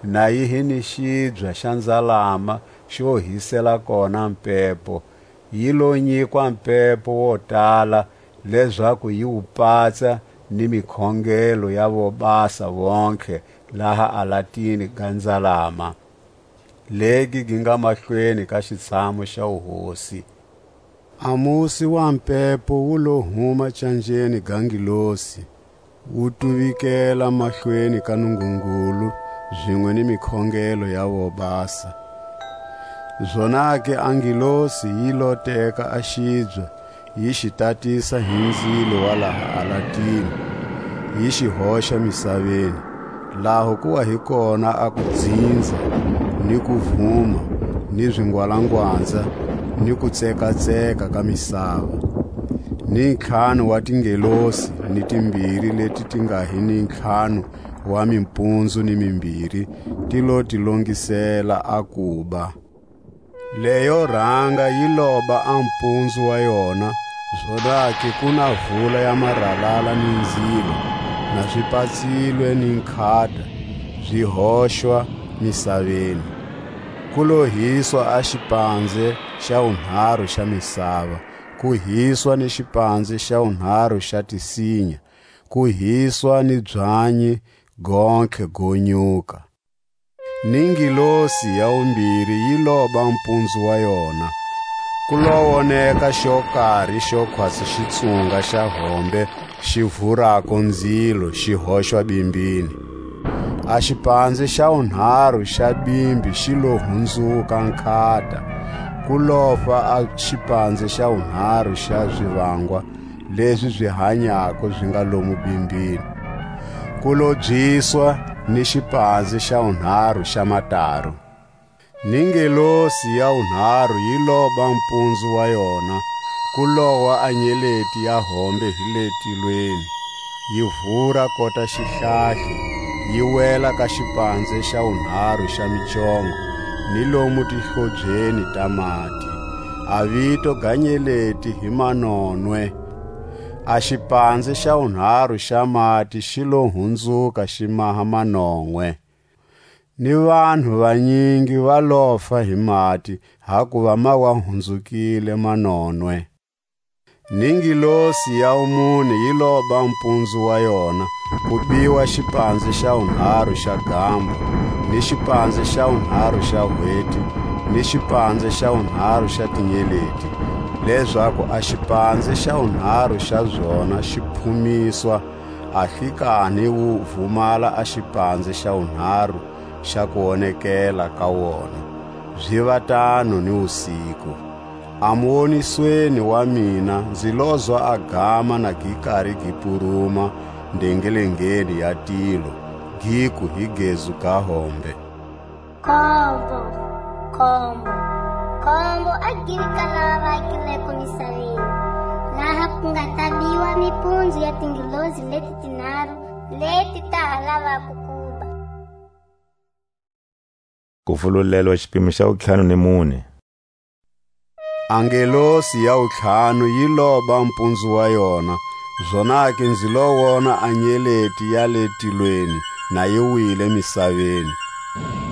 na yi hi ni xibya xa nzalama xo hisela kona mpepo, yi lo nyikwa mpepo wo tala, lezaku yi wu patsa ni mikhongelo ya vobasa vontlhe laha alatini ga nzalama, legi gi nga mahlweni ka xitshamu xa wuhosi. A musi wa mpepo wu lo huma canjeni ga ngelosi, wu tuvikela mahlweni ka Nungungulu, zinwe ni mikhongelo ya vobasa. Zonake a ngelosi yi lo teka a xibya, yi xi tatisa hi nzilo wa laha alatini, yi xi hoxa misaveni, laho ku wa hi kona a kudzinza, ni kuvuma, ni zingwalangwanza, ni kutsekatseka ka misava. Ni ntlhanu wa tingelosi ni timbiri leti ti nga hi ni ntlhanu wa mimpunzu ni mimbiri, ti lo ti longisela a kuba. Leyo ranga yi loba a mpunzu wa yona, zonake ku na vula ya maralala ni nzilo, na zi patsilwe ni nkhata, zi hoxwa misaveni. Ku lo hiswa a xipanze xa wunharu xa misava, ku hiswa ni xipanze xa wunharu xa tisinya, ku hiswa ni byanyi gontlhe go nyuka. Ni ngilosi ya wumbiri yi loba mpunzu wa yona. Ku lo woneka xo kari xo khwatsi xitsunga xa hombe xi vurako ndzilo xi hoxwa bimbini. A xipanze xa wunharu xa bimbi xi lo hunzuka nkhata, ku lofa a xipanze xa wunharu xa zivangwa lezi zi hanyako zi nga lomu bimbini. Ku lo byiswa ni xipanze xa wunharu xa mataru. Ni ngelosi ya wunharu yi loba mpunzu wa yona, ku lowa a nyeleti ya hombe hi le tilweni, yi vura kota xihlahli, yi wela ka xipanze xa wunharu xa micongo, ni lomu tihlobyeni ta mati. A vito ga nyeleti hi Manonwe. A xipanze xa wunharu xa mati xi lo hunzuka xi maha manonwe. ni vanhu vanyingi va lofa hi mati, hakuva ma wa hunzukile manonwe. Ni ngilosi ya wumune yi loba mpunzu wa yona, ku biwa xipanze xa wunharhu xa gambo, ni xipanze xa wunharhu xa hweti, ni xipanze xa wunharhu xa tinyeleti, lezaku a xipanze xa wunharhu xa zona xi phumiswa, a xi kani wu vumala a xipanze xa wunharhu xa kuonekela ka wona, ziva tano ni wusiku. A muwonisweni wa mina nzi lozwa a gama na gi kari gi puruma ndengelengeni ya tilo, giku hi gezu ga hombe: Khombo, khombo, khombo a gili ka lava va akileko misaveni, laha ku nga ta biwa mipundzu ya tingilozi leti tinharu leti ta ha lavako kuba. Kuvululelwa xipimo xa wutlhanu ni mune. A ngelosi ya wutlhanu yi loba mpunzu wa yona, zonake nzi lo wona a nyeleti ya le tilweni na yi wile misaveni.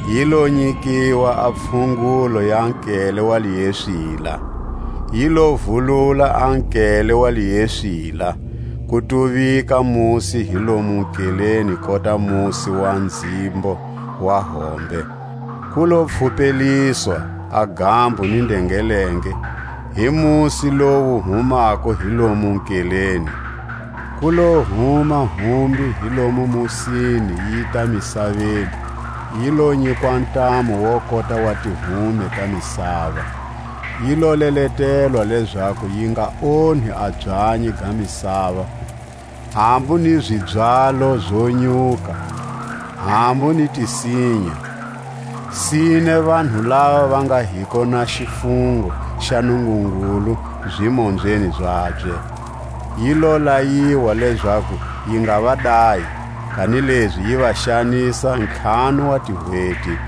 Yi lo nyikiwa a pfhungulo ya nkele wa lieswila. Yi lo vulula a nkele wa lieswila, ku tuvika musi hi lomu nkeleni kota musi wa nzimbo wa hombe. Ku lo pfupeliswa a gambo ni ndengelenge hi musi lowu humako hi lomu nkeleni. Ku lo huma humbi hi lomu musini yi ta misaveni, yi lo nyikwa ntamu wo kota wa tihume ta misava. Yi lo leletelwa lezaku yi nga onhi a byanyi ga misava, hambu ni zibyalo zo nyuka, hambu ni tisinya, sine vanhu lava va nga hiko na xifungo xa Nungungulu zimombyeni zabye. Yi lo layiwa lezaku yi nga va dayi, kanilezi yi va xanisa ntlhanu wa tihweti.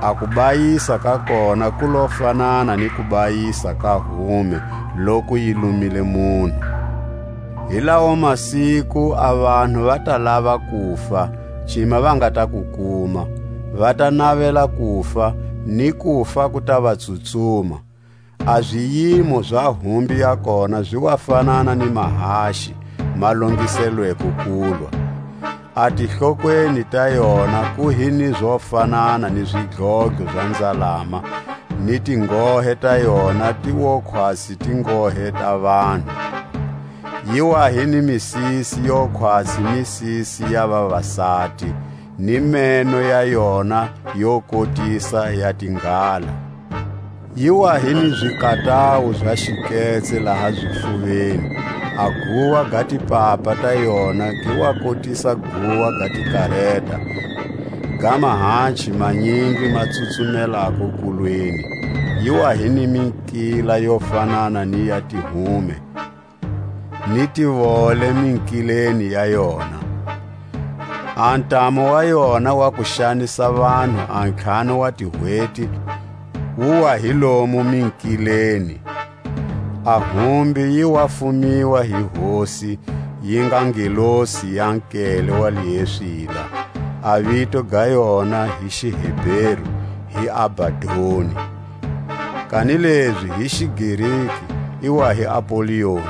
A kubayisa ka kona ku lo fanana ni kubayisa ka hume loku yi lumile munhu. Hi lawo masiku a vanhu va ta lava kufa, cima va nga ta ku kuma, va ta navela kufa, ni kufa ku ta va tsutsuma. A ziyimo za humbi ya kona zi wa fanana ni mahaxi ma longiselweko kulwa. A tihlokweni ta yona ku hi ni zo fanana ni zidlodlo za nzalama, ni tinghohe ta yona ti wo khwasi tinghohe ta vanhu. Yi wa hi ni misisi yo khwasi misisi ya vavasati, ni meno ya yona yo kotisa ya tinghala. Yi wa hi ni zikatawu za xiketse laha zifuveni, a guwa ga tipapa ta yona gi wa kotisa guwa ga tikareta, ga mahanchi manyingi ma tsutsumelako kulweni. Yi wa hi ni minkila yo fanana ni ya tihume, ni tivole minkileni ya yona. A ntamu wa yona wa ku xanisa vanhu a ntlhanu wa tihweti wu wa hi lomu minkileni. A humbi yi wa fumiwa hi Hosi, yi nga ngelosi ya nkele wa lieswila, a vito ga yona hi Xiheberu hi Abadoni, kanilezi hi Xigriki i wa hi Apolioni.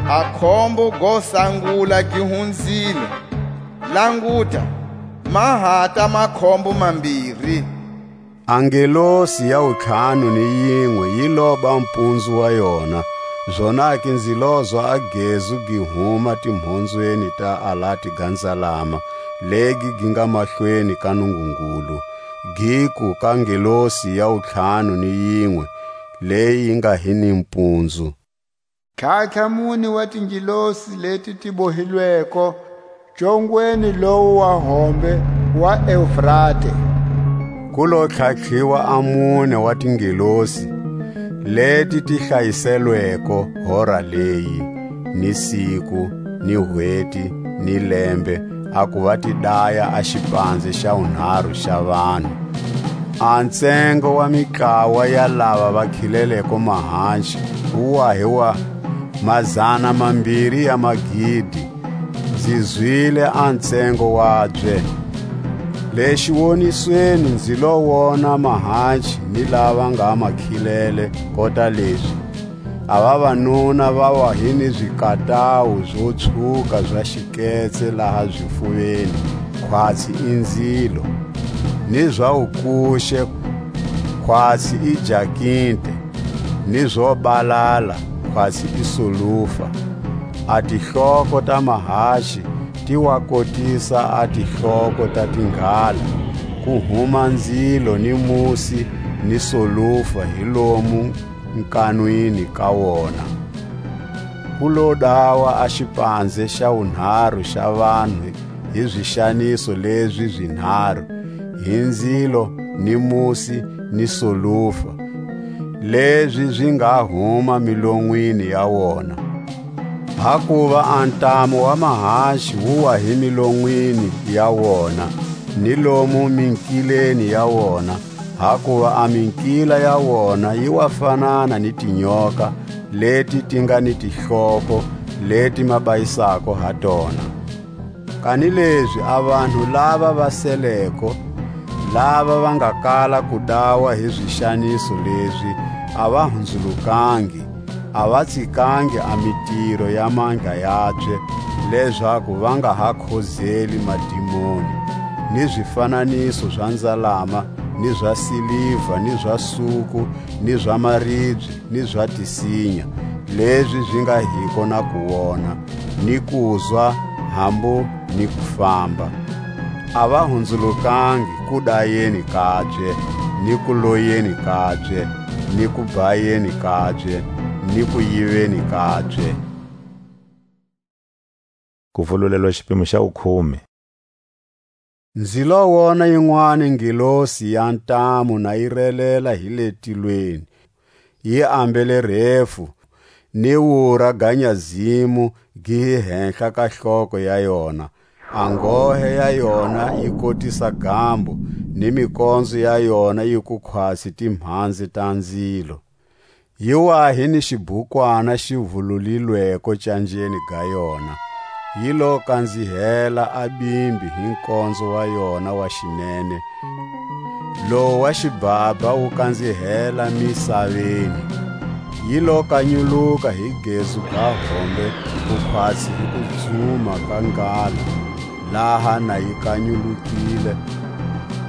A khombo go sangula gi hunzile. Languta, ma hata makhombo mambiri. A ngelosi ya wutlhanu ni yinwe yi loba mpunzu wa yona, zonake nzi lozwa a gezu gi huma timhonzweni ta alati ga nzalama, legi gi nga mahlweni ka Nungungulu, giku ka ngelosi ya wutlhanu ni yinwe, leyi yi nga hi ni mpunzu: Tlhatlha mune wa tingelosi leti ti bohilweko congweni lowu wa hombe wa Eufrate. Ku lo tlhatlhiwa a mune wa tingelosi, leti ti hlayiselweko hora leyi, ni siku, ni hweti, ni lembe, a ku va ti daya a xipanze xa wunharhu xa vanhu. A ntsengo wa mitlawa ya lava va khileleko mahanchi wu wa hi wa mazana mambiri ya magidi. Nzi zwile a ntsengo wabye. Le xiwonisweni nzi lo wona mahanci ni lava nga makhilele kota lezi. A vavanuna va wa hi ni zikatawu zo tshuka za xiketse laha zifuveni, khwatsi i nzilo, ni za wukuxe, khwatsi i jakinte, ni zo balala, khwatsi i sulufa. A tihloko ta mahaxi ti wa kotisa a tihloko ta tinghala, ku huma nzilo ni musi ni solufa hi lomu nkanwini ka wona. Ku lo dawa a xipanze xa wunharu xa vanhu hi zixaniso lezi zinharu, hi nzilo, ni musi, ni solufa, lezi zi nga huma milonwini ya wona. Hakuva a ntamu wa mahaxi wu wa hi milonwini ya wona, ni lomu minkileni ya wona, hakuva a minkila ya wona yi wa fanana ni tinyoka leti ti nga ni tihloko leti ma bayisako ha tona. Kanilezi a vanhu lava va seleko, lava va nga kala ku dawa hi zixaniso lezi, a va hunzulukangi, a va tsikangi a mitiro ya mandla yabye, lezaku va nga ha khozeli madimoni, ni zifananiso za nzalama, ni za siliva, ni za suku, ni za maribye, ni za tisinya, lezi zi nga hiko na ku wona, ni kuzwa, hambu ni ku famba. A va hunzulukangi ku dayeni kabye, ni ku loyeni kabye, ni ku bhayeni kabye, ni ku yiveni kabye. Kuvululelwa xipimo xa wukhume. Nzi lo wona yinwani ngelosi ya ntamu na yi relela hi le tilweni, yi ambele refu, ni wura ga nyazimu gi hi henhla ka hloko ya yona. A nghohe ya yona yi kotisa gambo, ni mikonzo ya yona yi ku khwatsi timhanzi ta nzilo. Yi wa hi ni xibukwana xi vululilweko canjeni ga yona, yi lo kanzihela a bimbi hi nkonzo wa yona wa xinene, lowu wa xibhabha wu kanzihela misaveni. Yi lo kanyuluka hi gezu ga hombe, ku khwatsi hi kudzuma ka ngalo, laha na yi kanyulukile,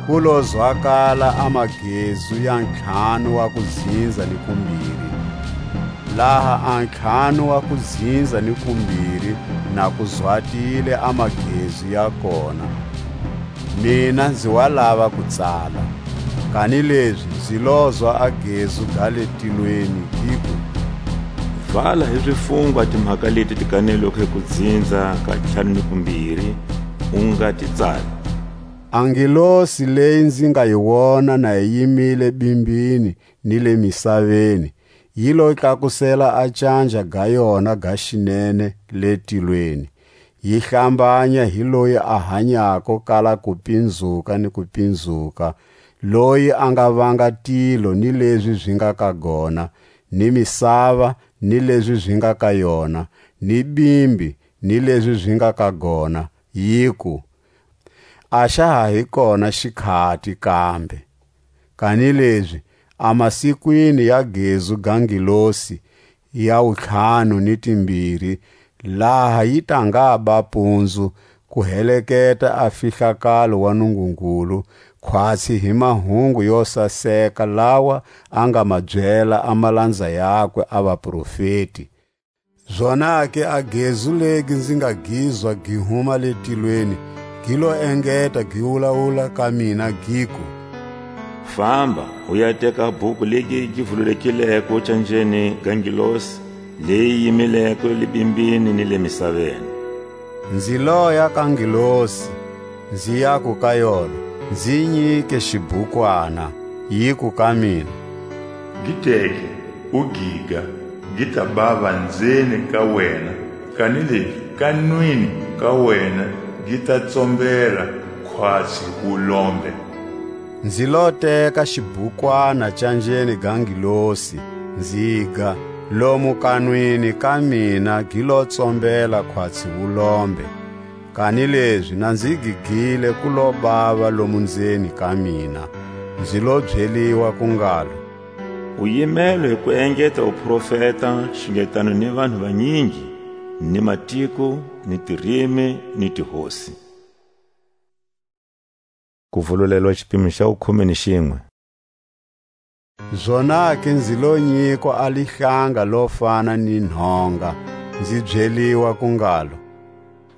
ku lo zwakala a magezu ya ntlhanu wa kuzinza ni kumbiri. Laha a ntlhanu wa kuzinza ni kumbiri na ku zwatile a magezu ya kona, mina nzi wa lava ku tsala. Kanilezi nzi lozwa a gezu ga le tilweni, giku: Vala hi zifungwa timhaka leti ti kanelweko hi kuzinza ka ntlhanu ni kumbiri, u nga ti tsali. A ngelosi leyi nzi nga yi wona na yi yimile bimbini ni le misaveni, yi lo tlakusela a canja ga yona ga xinene le tilweni, yi hlambanya hi loyi a hanyako kala ku pinzuka ni ku pinzuka, loyi a nga vanga tilo ni lezi zi nga ka gona, ni misava ni lezi zi nga ka yona, ni bimbi ni lezi zi nga ka gona, yiku: A xa ha hi kona xikhati kambe. Kanilezi a masikwini ya gezu ga ngilosi ya wuntlhanu ni timbiri, laha yi ta nga ba punzu, ku heleketa a fihlakalo wa Nungungulu, khwatsi hi mahungu yo saseka lawa a nga ma byela a malanza yakwe a vaprofeti. Zonake a gezu legi nzi nga gizwa gi huma le tilweni, gi lo engeta gi wulawula ka mina, giku: Famba, u ya teka a bhuku legi gi vululekileko canjeni ga ngilosi, leyi yimileko le bimbini ni le misaveni. Nzi loya ka ngilosi, nzi yaku ka yona: Nzi nyike xibukwana. Yiku ka mina: Gi teke, u giga, gi ta bava nzeni ka wena, kanilezi ka nwini ka wena gi ta tsombela khwatsi wulombe. Nzi lo teka xibukwana canjeni ga ngilosi, nziga, lomu kanwini ka mina gi lo tsombela khwatsi wulombe. Kanilezi na nzi gigile ku lo bava lomu nzeni ka mina, nzi lo byeliwa ku ngalo: U yimelwe hi ku engeta wuprofeta xingetano ni vanhu vanyingi, ni matiko, ni tirimi, ni tihosi. Ku vululelwa xipimo xa wukhume ni xinwe. Zonake nzi lo nyikwa a lihlanga lo fana ni nhonga, nzi byeliwa ku ngalo: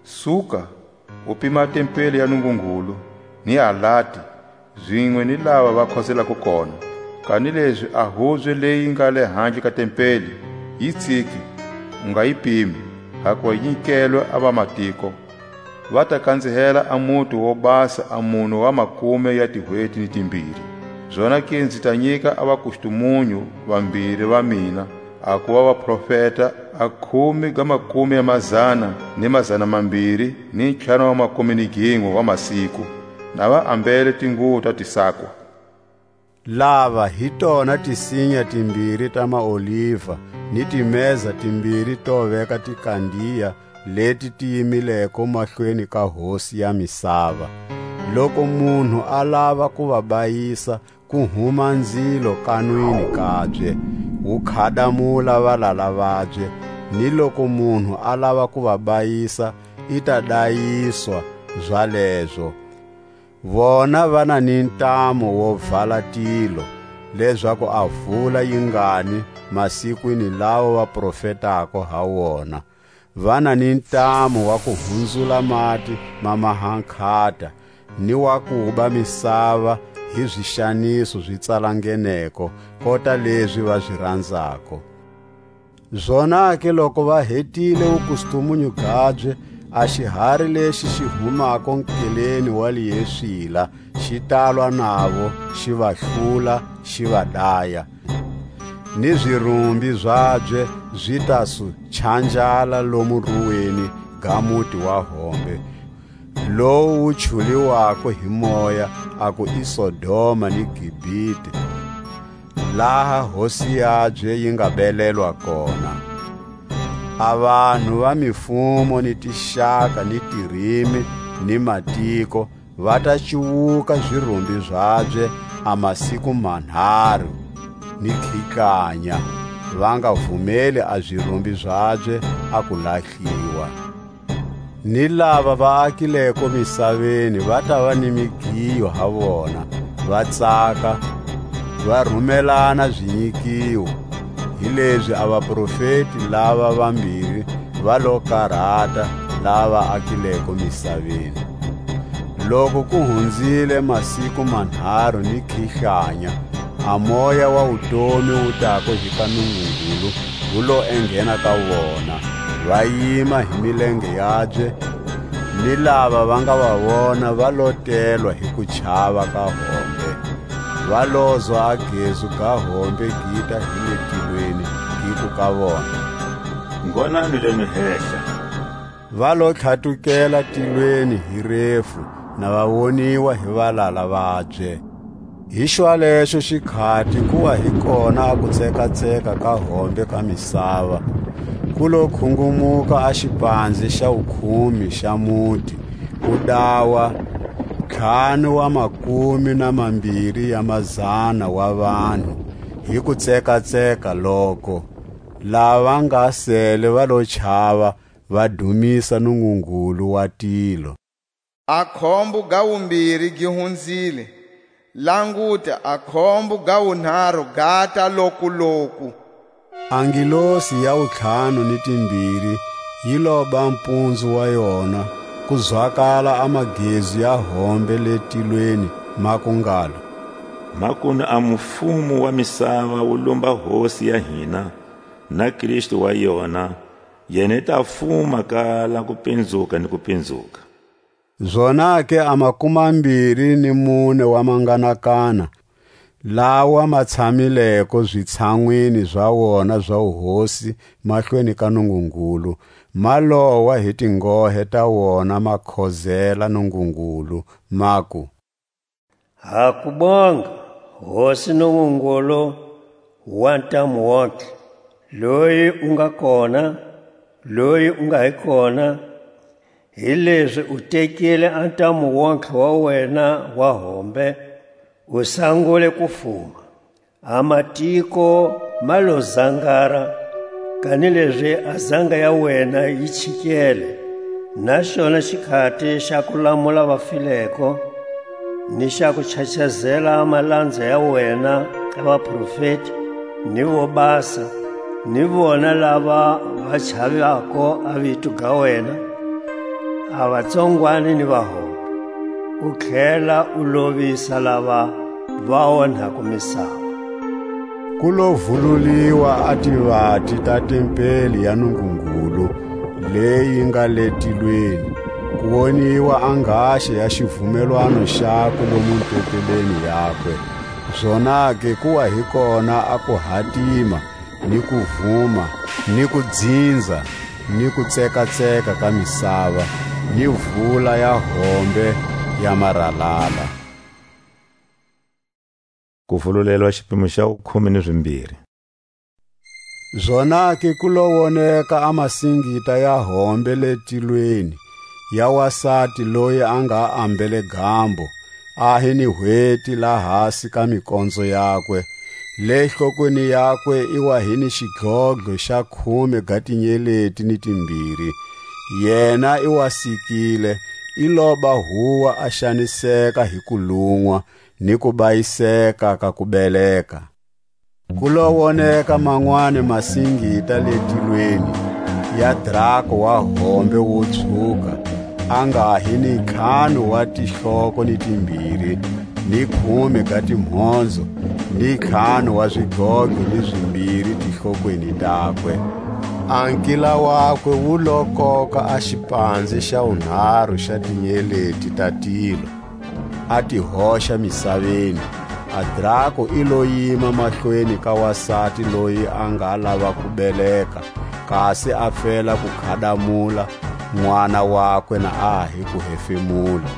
Suka, u pima tempeli ya Nungungulu, ni alati, zinwe ni lava va khoselako kona. Kanilezi a hubye leyi nga le handle ka tempeli, yi tsiki, u nga yi pimi, hakuva yi nyikelwe a vamatiko. Va ta kanzihela a muti wo basa a mune wa makume ya tihweti ni timbiri. Zonake nzi ta nyika a vakustumunyu vambiri va mina, a kuva vaprofeta, a khume ga makume ya mazana ni mazana mambiri ni ntlhanu wa makume ni ginwe wa masiku, na va ambele tinguwo ta tisakwa. Lava hi tona tisinya timbiri ta maoliva, ni timeza timbiri to veka tikandiya, leti ti yimileko mahlweni ka Hosi ya misava. Loku munhu a lava ku va bayisa, ku huma nzilo kanwini kabye, wu khadamula valala vabye, ni loku munhu a lava ku va bayisa, i ta dayiswa zalezo. Vona va na ni ntamu wo vala tilo, lezaku a vula yi ngani masikwini lawa va profetako ha wona. Va na ni ntamu wa ku hunzula mati ma mahankhata, ni wa kuba misava hi zixaniso zi tsalangeneko, kota lezi va zi ranzako. Zonake loku va hetile wukustumunyu gabye, a xihari lexi xi humako nkeleni wa liyeswila, xi talwa navo, xi va hlula, xi va daya. Ni zirumbi zabye zi ta su chanjala lomu ruweni ga muti wa hombe, lowu wu chuliwako hi moya, a ku i Sodoma ni Gibite, laha Hosi yabye yi nga belelwa kona. A vanhu va mifumo ni tixaka ni tirimi ni matiko va ta cuwuka zirumbi zabye a masiku manharu ni khikanya, va nga vumeli a zirumbi zabye a ku lahliwa. Ni lava va akileko misaveni va tava ni migiyo ha vona, va tsaka, va rumelana zinyikiwo. Hilezi a vaprofeti lava vambiri va lo karata lava akileko misaveni. Loku ku hunzile masiku manharu ni khihlanya, a moya wa wutomi wu tako hi ka Nungungulu, wu lo enghena ka vona, va yima hi milenge yabye, ni lava va nga va vona va lotelwa hi kuchava ka hombe. Va lozwa a gezu ga hombe gita hi le tilweni, giku ka vona: Ngonani le mi hehla. Va lo tlhatukela tilweni hi refu, na va woniwa hi valala vabye. Hi xwalexo xikhati ku wa hi kona a kutsekatseka ka hombe ka misava, ku lo khungumuka a xipanze xa wukhumi xa muti, ku dawa ntlhanu wa makume na mambiri ya mazana wa vanhu, hi kutsekatseka loko. Lava nga sele va lo chava, va dumisa Nungungulu wa tilo. A khombo ga wumbiri gi hunzile. Languta, a khombo ga wunharu gata lokuloku. A ngilosi ya wutlhanu ni timbiri yi loba mpunzu wa yona, ku zwakala a magezi ya hombe le tilweni, maku ngalo: Makunu a mufumo wa misava wu lumba Hosi ya hina, na Kristu wa yona, yena i ta fuma kala ku pinzuka ni ku pinzuka. Zonake a makumambiri ni mune wa manganakana, lawa ma tshamileko zitshanwini za wona za wuhosi mahlweni ka Nungungulu, ma lowa hi tingohe ta wona, ma khozela Nungungulu, maku: Ha ku bonga, Hosi Nungungulu wa ntamu wontlhe, loyi u nga kona, loyi u nga hi kona, Hilezi u tekile a ntamu wontlhe wa wena wa hombe, u sangule ku fuma. A matiko ma lo zangara, kanilezi a zanga ya wena yi chikele, na xona xikhati xa ku lamula vafileko, ni xa ku chachazela a malanza ya wena a vaprofeti, ni vo basa, ni vona lava va chavako a vito ga wena, a vatsongwani ni vahombe, u tlhela u lovisa lava va onhako misava. Ku lo vululiwa a tivati ta tempeli ya Nungungulu, leyi nga le tilweni, ku woniwa a nghaxa ya xivumelwano xakwe lomu ntetebeni yakwe. Zonake ku wa hi kona a kuhatima, ni kuvuma, ni kudzinza, ni kutsekatseka ka misava, ni vula ya hombe ya maralala. Kuvululelwa xipimo xa wukhume ni zimbiri. Zonake ku lo woneka a masingita ya hombe le tilweni, ya wasati loyi a nga ambele gambo, a hi ni hweti la hasi ka mikonzo yakwe. Le hlokweni yakwe i wa hi ni xidlodlo xa khume ga tinyeleti ni timbiri. Yena i wa sikile, i loba huwa a xaniseka hi kulun'wa, ni kubayiseka ka kubeleka. Ku lo woneka manwani masingita le tilweni, ya drako wa hombe wo tshuka, a nga hi ni ntlhanu wa tihloko ni timbiri, ni khume ga timhondzo, ni ntlhanu wa zidlodlo ni zimbiri tihlokweni takwe. A nkila wakwe wu lo koka a xipanze xa wunharu xa tinyeleti ta tilo, a ti hoxa misaveni. A drako i lo yima mahlweni ka wasati loyi a nga lava ku beleka, kasi a fela ku khadamula, n'wana wakwe na a ha hi ku hefemula.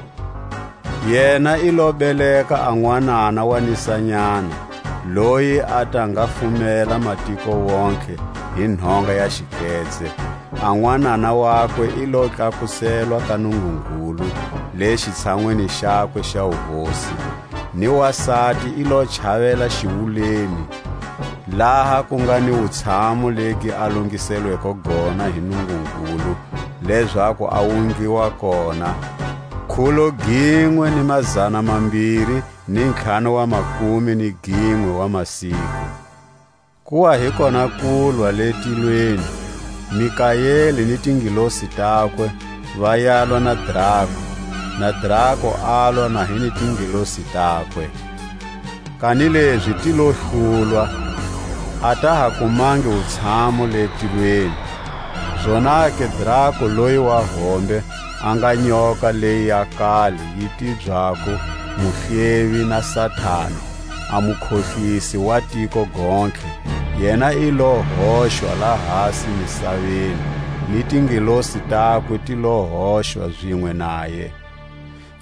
Yena i lo beleka a n'wanana wa nisanyana, loyi a ta nga fumela matiko wontlhe hi nhonga ya xiketse. A n'wanana wakwe i lo tlakuselwa ka Nungungulu, le xitshanwini xakwe xa wuhosi, ni wasati i lo chavela xiwuleni, laha ku nga ni wutshamo legi a longiselweko gona hi Nungungulu, lezaku a wungiwa kona, khulo ginwe ni mazana mambiri ni ntlhanu wa makume ni ginwe wa masiku. Ku wa hi kona kulwa le tilweni, Mikaeli ni tingilosi takwe va yalwa na drako, na drako alwa na hi ni tingilosi takwe. Kanilezi ti lo hlulwa, a ta ha kumangi wutshamo le tilweni. Zonake drako loyi wa hombe a nga nyoka leyi ya kale yi tibyako Muhlevi na Satani, a mukhohlisi wa tiko gontlhe, yena i lo hoxwa la hasi misaveni, ni tingilosi takwe ti lo hoxwa zinwe naye.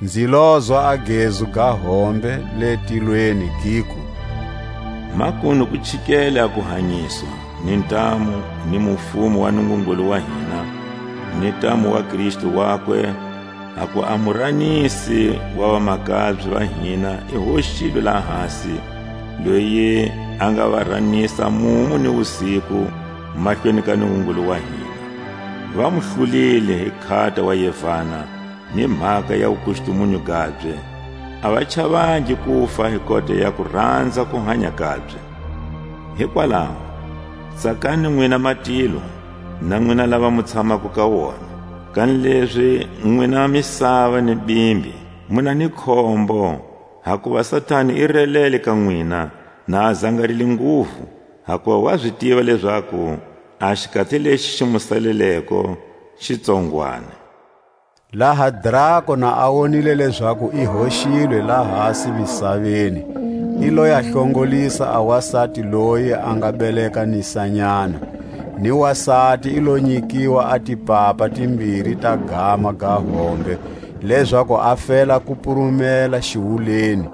Nzi lozwa a gezu ga hombe le tilweni giku: Makunu ku chikele a kuhanyiswa, ni ntamu, ni mufumo wa Nungungulu wa hina, ni ntamu wa Kristu wakwe, haku a muranisi wa vamakabye va hina i hoxilwe laha hasi, loyi a nga va ranisa mumu ni wusiku mahlweni ka Nungungulu wa hina. Va mu hlulile hi khata wa yevana, ni mhaka ya wukustumunyu gabye. A va chavangi kufa hi kota ya kuranza kuhanya kabye. Hikwalaho, tsakani nwina matilo, na nwina lava mu tshamako ka wona. Kanilezi nwina misava ni bimbi, mu na ni khombo, hakuva Satani i relele ka nwina, na a zangarile nguvu, hakuva wa zi tiva lezaku a xikati lexi xi mu saleleko xi tsongwani. Laha drako na a wonile lezaku i hoxilwe la hasi misaveni, i lo ya hlongolisa a wasati loyi a nga beleka nisanyana, ni wasati i lo nyikiwa a tipapa timbiri ta gama ga hombe, lezaku a fela ku purumela xiwuleni,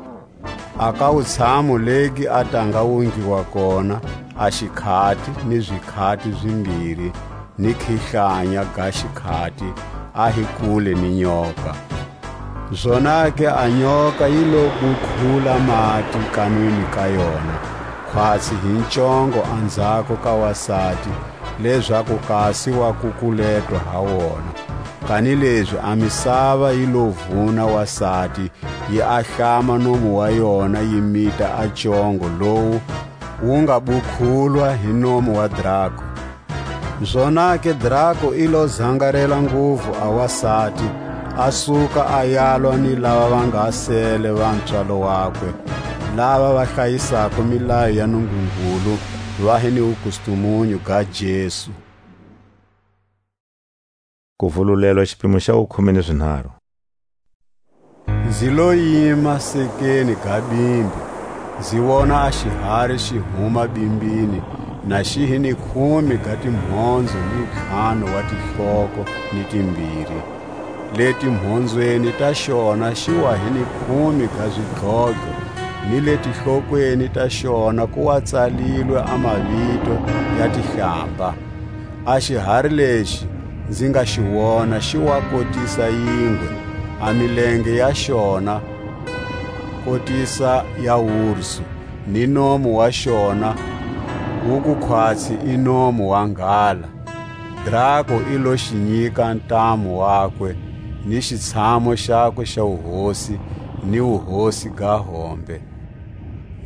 a ka wutshamo legi a ta nga wungiwa kona a xikhati ni zikhati zimbiri ni khihlanya ga xikhati, a hi kule ni nyoka. Zonake a nyoka yi lo bukhula mati kanwini ka yona, khwatsi hi ncongo anzhako ka wasati, lezaku kasi wa kukuletwa ha wona. Kanilezi a misava yi lo vuna wasati, yi ahlama nomu wa yona, yi mita a congo lowu wu nga bukhulwa hi nomu wa drako. Zonake drako i lo zangarela nguvu a wasati, a suka a yalwa ni lava va nga sele va ntswalo wakwe, lava va hlayisako milayo ya Nungungulu, va hi ni wukustumunyu ga Jesu. Kuvululelwa, xipimo xa wukhume ni zinharu. Nzi lo yima sekeni ga bimbi, nzi wona a xihari xi huma bimbini, na xi hi ni khume ga timhondzo ni ntlhanu wa tihloko ni timbiri. Le timhondzweni ta xona xi wa hi ni khume ga zidlodlo, ni le tihlokweni ta xona ku wa tsalilwe a mavito ya tihlamba. A xihari lexi nzi nga xi wona xi wa kotisa yingwe, a milenge ya xona kotisa ya wursu, ni nomu wa xona wu ku khwatsi i nomu wa nghala. Drako i lo xi nyika ntamu wakwe, ni xitshamo xakwe xa wuhosi, ni wuhosi ga hombe.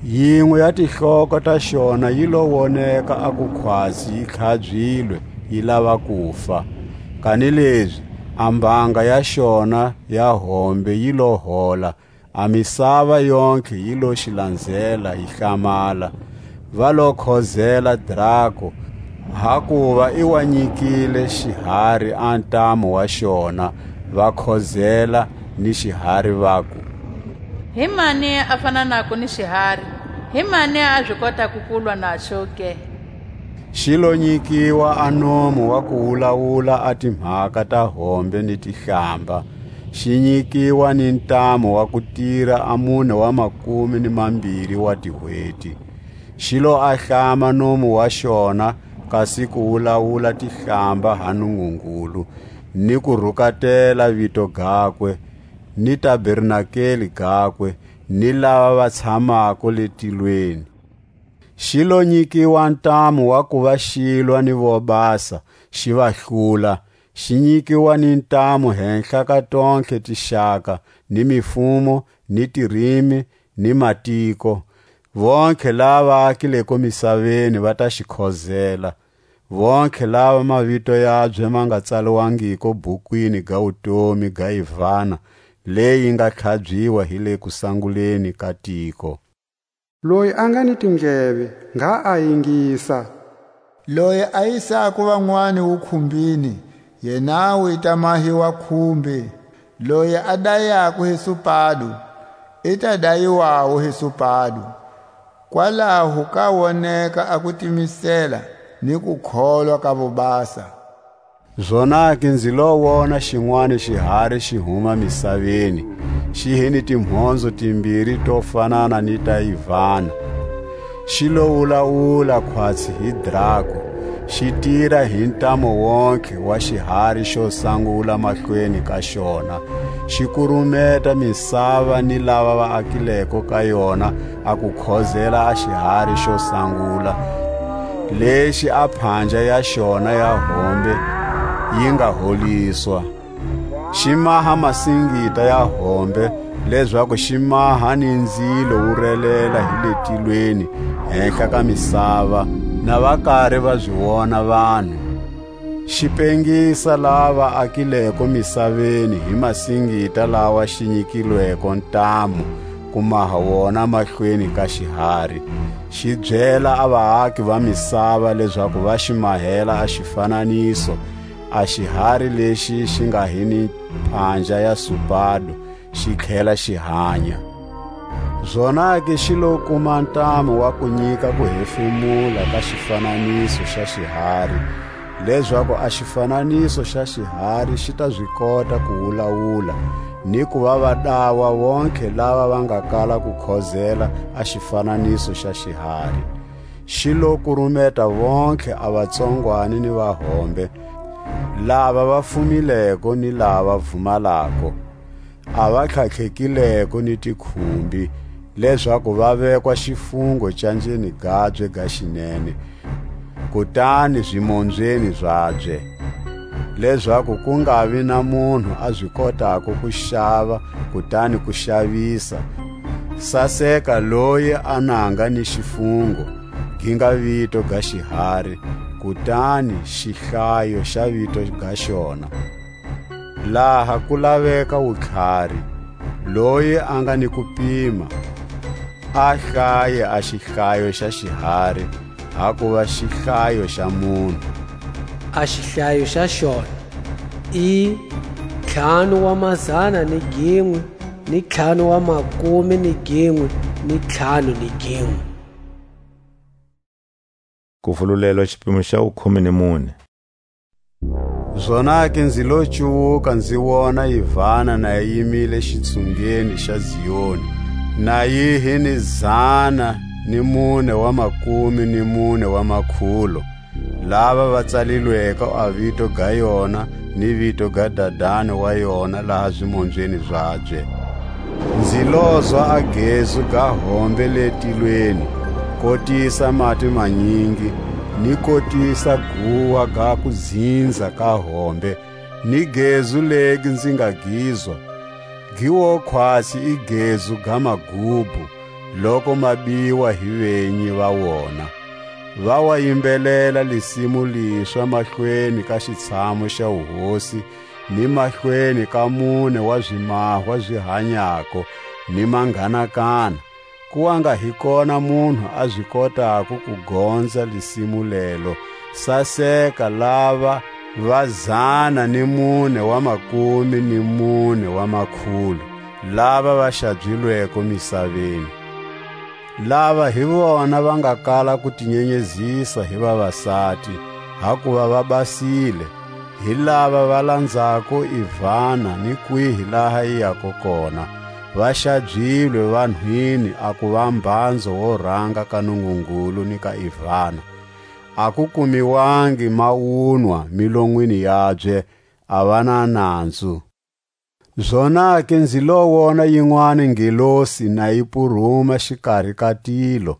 Yinwe ya tihloko ta xona yi lo woneka a ku khwatsi yi tlhabyilwe, yi lava kufa. Kanilezi a mbanga ya xona ya hombe yi lo hola, a misava yontlhe yi lo xi lanzela, yi hlamala. Va lo khozela drako, hakuva i wa nyikile xihari a ntamu wa xona, va khozela ni xihari, vaku: Hi mani a fananako ni xihari? Hi mani a zi kotako ku lwa naxo ke? Xi lo nyikiwa a nomu wa ku wulawula a timhaka ta hombe ni tihlamba, xi nyikiwa ni ntamu wa ku tira a mune wa makume ni mambiri wa tihweti. Xi lo ahlama nomu wa xona, kasi ku wulawula tihlamba ha Nungungulu, ni ku rukatela vito gakwe, ni tabernakeli gakwe, ni lava va tshamako le tilweni. Xi lo nyikiwa ntamu wa kuva xi lwa ni vobasa, xi va hlula, xi nyikiwa ni ntamu henhla ka tontlhe tixaka, ni mifumo, ni tirimi, ni matiko. Vontlhe lava akileko misaveni va ta xi khozela, vontlhe lava mavito yabye ma nga tsaliwangiko bhukwini ga wutomi ga Ivana, leyi nga tlhabyiwa hi le kusanguleni ka tiko. Loyi a nga ni tindleve, ngha a yingisa. Loyi a yisako vanwani wukhumbini, yenawu i ta mahiwa khumbi. Loyi a dayako hi supado, i ta dayiwawu hi supado. Kwalaho ka woneka a kutimisela ni kukholwa ka vobasa. Zonake nzi lo wona xinwani xihari xi huma misaveni, xi hi ni timhondzo timbiri to fanana ni ta yivana. Xi lo wulawula khwatsi hi drako, xi tira hi ntamu wontlhe wa xihari xo sangula mahlweni ka xona, xi kurumeta misava ni lava va akileko ka yona, a ku khozela a xihari xo sangula, lexi a phandla ya xona ya hombe yi nga holiswa. Xi maha masingita ya hombe, lezaku xi maha ni nzilo wu relela hi le tilweni, henhla ka misava, na va kari va zi wona vanhu. Xi pengisa lava akileko misaveni hi masingita lawa xi nyikilweko ntamu ku maha wona mahlweni ka xihari. Xi byela a vaaki va misava lezaku va xi mahela a xifananiso, a xihari lexi xi nga hi ni phandla ya supado, xi tlhela xi hanya. Zonake xi lo kuma ntamu wa ku nyika ku hefemula ka xifananiso xa xihari, lezaku a xifananiso xa xihari xi ta zi kota ku wulawula, ni ku va va dawa vontlhe lava va nga kala ku khozela a xifananiso xa xihari. Xi lo kurumeta vontlhe a vatsongwani ni vahombe, Lava va fumileko ni lava vumalako, a va tlhatlhekileko ni tikhumbi, lezaku va vekwa xifungo canjeni gabye ga xinene, kutani zimombyeni zabye, lezaku ku nga vi na munhu a zi kotako ku xava kutani ku xavisa. Saseka loyi a nanga ni xifungo, gi nga vito ga xihari, kutani xihlayo xa vito ga xona. Laha ku laveka wutlhari, loyi a nga ni kupima, a hlaye a xihlayo xa xihari, hakuva xihlayo xa munhu. A xihlayo xa xona i ntlhanu wa mazana ni ginwe, ni ntlhanu wa makume ni ginwe, ni ntlhanu ni ginwe. Kuvululelwa xipimo xa wukhume ni mune. Zonake nzi lo cuwuka, nzi wona yivana na yi yimile xitsungeni xa Zioni, na yi hi ni zana ni mune wa makume ni mune wa makhulo, lava va tsalilweko a vito ga yona ni vito ga dadani wa yona laha zimombyeni zabye. Nzi lozwa a gezu ga hombe le tilweni, kotisa mati manyingi, ni kotisa guwa ga kudzinza ka hombe, ni gezu legi nzi nga gizwa, gi wo khwatsi i gezu ga magubu, loku ma biwa hi venyi va wona. Va wa yimbelela lisimu liswa mahlweni ka xitshamu xa wuhosi, ni mahlweni ka mune wa zimahwa zi hanyako, ni manghanakana. Ku wa nga hi kona munhu a zi kotako ku gonza lisimu lelo. Saseka lava va zana ni mune wa makume ni mune wa makhulu, lava va xabzilweko misaveni. Lava hi vona va nga kala ku ti nyenyezisa hi vavasati, hakuva va basile, hi lava va lanzako Ivana ni kwihi laha yi yako kona, va xabyilwe vanhwini a kuva mbanzo wo ranga ka Nungungulu ni ka Ivana. A ku kumiwangi mawunwa milonwini yabye, a va na nanzu. Zonake nzi lo wona yinwani ngelosi na yi puruma xikari ka tilo,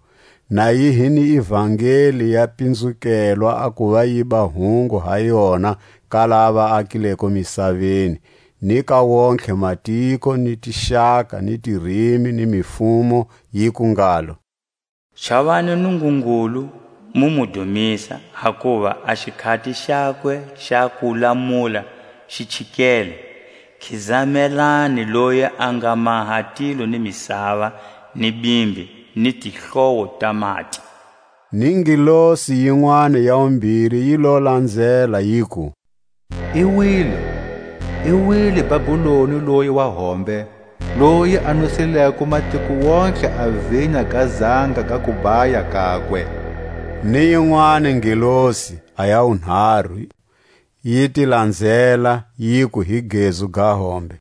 na yi hi ni ivangeli ya pinzukelwa a kuva yi ba hungu ha yona ka lava akileko misaveni, ni ka wontlhe matiko, ni tixaka, ni tirimi, ni mifumo, yiku ngalo: Chavani Nungungulu, mu mu dumisa, hakuva a xikhati xakwe xa ku lamula xi chikele. Khizamelani loyi a nga maha tilo ni misava, ni bimbi, ni tihlowo ta mati. Ni ngelosi yinwani ya wumbiri yi lo lanzela, yiku: I wile, i wile Babuloni loyi wa hombe, loyi a nwisileko matiko wontlhe a vinya ga zanga ga kubaya kakwe. Ni yinwani ngelosi, a ya wunharu, yi ti lanzela, yiku hi gezu ga hombe: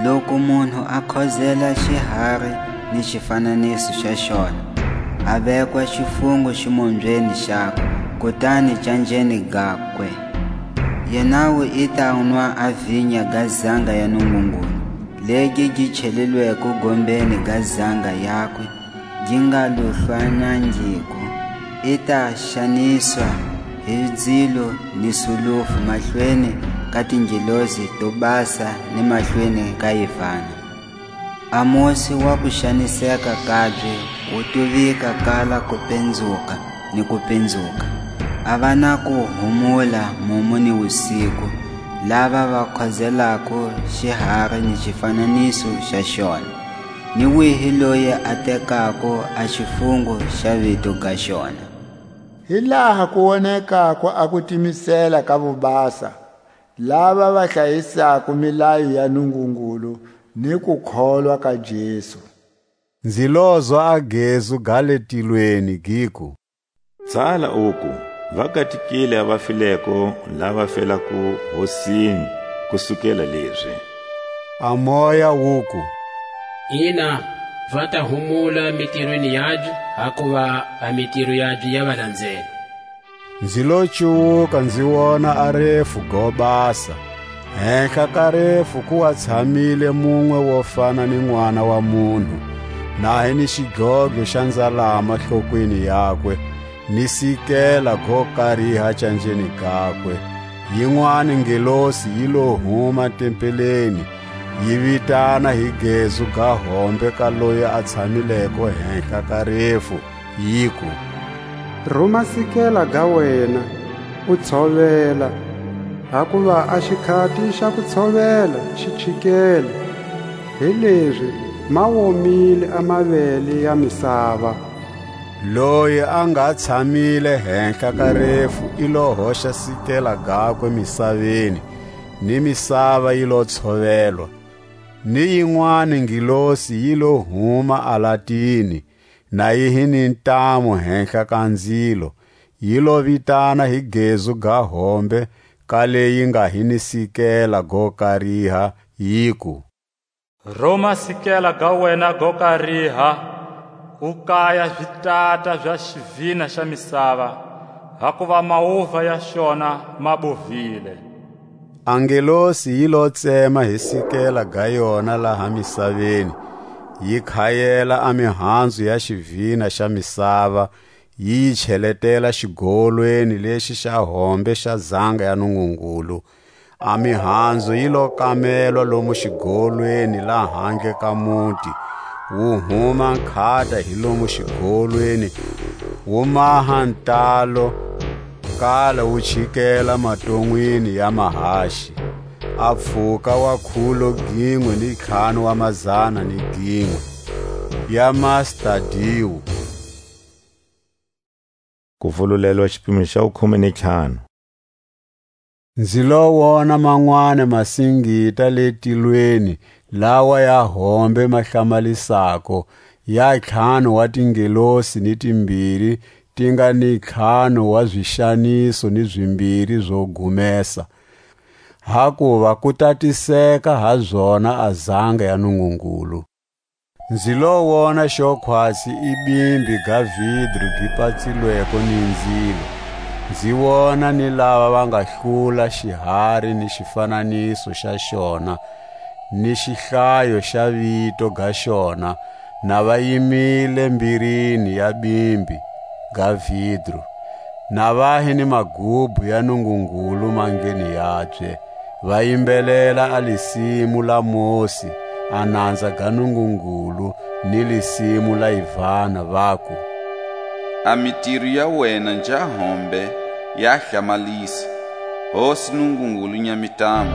Loku munhu a khozela xihari ni xifananiso xa xona, a vekwa xifungo ximombyeni xakwe, kutani canjeni gakwe. Yenawu i ta nwa a vinya ga zanga ya Nungungulu, legi gi chelilweko gombeni ga zanga yakwe, gi nga luhlwanangiko. I ta xaniswa hi ndzilo ni sulufu mahlweni ka tingelosi to basa ni mahlweni ka Yivana. A mosi wa ku xaniseka kabye wu tuvika kala ku penzuka ni ku penzuka. A va na ku humula mumu ni wusiku, lava va khozelako xihari ni xifananiso xa xona, ni wihi loyi a tekako a xifungo xa vito ga xona. Hi laha ku wonekako a kutimisela ka vubasa, lava va hlayisako milayo ya Nungungulu ni kukholwa ka Jesu. Nzi lozwa a gezu ga le tilweni, giku: Tsala uku: Va katikile a va fileko lava felako Hosini kusukela lezi. A Moya wuku: Ina, va ta humula mitirweni yabye, hakuva a mitiro yabye ya va lanzela. Nzi lo cuwuka, nzi wona a refu go basa. Henhla ka refu ku wa tshamile munwe wo fana ni n'wana wa munhu, na hi ni xidlodlo xa nzalama hlokweni yakwe, ni sikela go kariha canjeni gakwe. Yinwani ngelosi yi lo huma tempeleni, yi vitana hi gezu ga hombe ka loyi a tshamileko henhla ka refu, yiku: Ruma sikela ga wena, u tshovela, hakuva a xikhati xa ku tshovela xi chikele. Hilezi ma womile a mavele ya misava. Loyi a nga tshamile henhla ka refu i lo hoxa sikela gakwe misaveni, ni misava yi lo tshovelwa. Ni yinwani ngilosi yi lo huma alatini, na yi hi ni ntamu henhla ka nzilo, yi lo vitana hi gezu ga hombe ka leyi nga hi ni sikela go kariha, yiku: Ruma sikela ga wena go kariha, u kaya zitata za xivina xa misava, hakuva mauva ya xona ma bovile. A ngelosi yi lo tsema hi sikela ga yona laha misaveni, yi khayela a mihanzu ya xivina xa misava, yi yi cheletela xigolweni lexi xa hombe xa zanga ya Nungungulu. A mihanzu yi lo kamelwa lomu xigolweni lahandle ka muti, wu huma nkhata hi lomu xigolweni, wu maha ntalo, kala wu chikela maton'wini ya mahaxi. A pfuka wa khulo ginwe ni ntlhanu wa mazana ni ginwe ya mastadiwu. Ku vululelwa xipimo xa wukhume ni ntlhanu. Nzi lo wona manwani masingita le tilweni, lawa ya hombe ma hlamalisako, ya ntlhanu wa tingelosi ni timbiri, ti nga ni ntlhanu wa zixaniso ni zimbiri zo gumesa, hakuva ku tatiseka ha zona a zanga ya Nungungulu. Nzi lo wona xo khwatsi i bimbi ga vidru gi patsilweko ni nzilo. Nzi wona ni lava va nga hlula xihari ni xifananiso xa xona, ni xihlayo xa vito ga xona, na va yimile mbirini ya bimbi ga vidru, na va hi ni magubu ya Nungungulu mandleni yabye, va yimbelela a lisimu la Mosi, a nanza ga Nungungulu, ni lisimu la Ivana, vaku: A mitiro ya wena nja hombe ya hlamalisa, Hosi Nungungulu Nyamitama,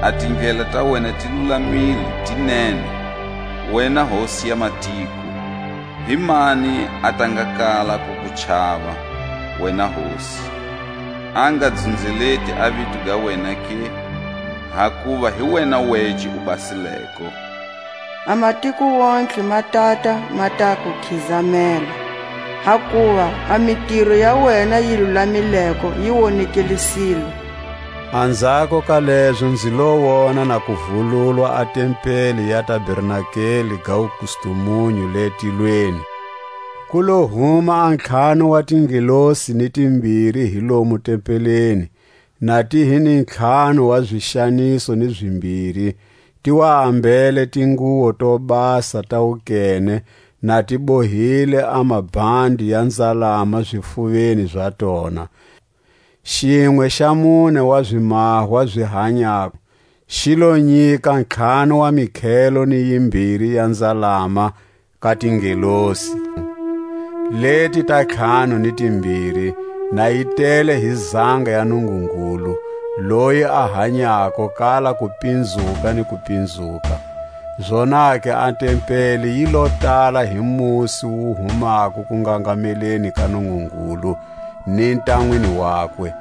a tindlela ta wena ti lulamile, ti nene, wena Hosi ya matiko. Hi mani a ta nga kala ku ku chava, wena Hosi? A nga dzunzeleti a vito ga wena ke? Hakuva hi wena wece u basileko. A matiko wontlhe ma tata ma ta ku khizamela, hakuva a mitiro ya wena yi lulamileko yi wonekelisile. Anzhako ka lezo nzi lo wona na ku vululwa a tempeli ya tabernakeli ga wukustumunyu le tilweni. Ku lo huma a ntlhanu wa tingelosi ni timbiri hi lomu tempeleni, na ti hi ni ntlhanu wa zwixaniso ni zimbiri, ti wa ambele tinguwo to basa ta wukene, na ti bohile a mabandi ya nzalama zifuveni za tona. Xinwe xa mune wa zimahwa zi hanyako, xi lo nyika ntlhanu wa mikhelo ni yimbiri ya nzalama ka tingelosi. Leti ta ntlhanu ni timbiri, na yi tele hi zanga ya Nungungulu, loyi a hanyako kala ku pinzuka ni ku pinzuka. Zonake a tempeli yi lo tala hi musi wu humako ku ngangameleni ka Nungungulu, ni ntanwini wakwe.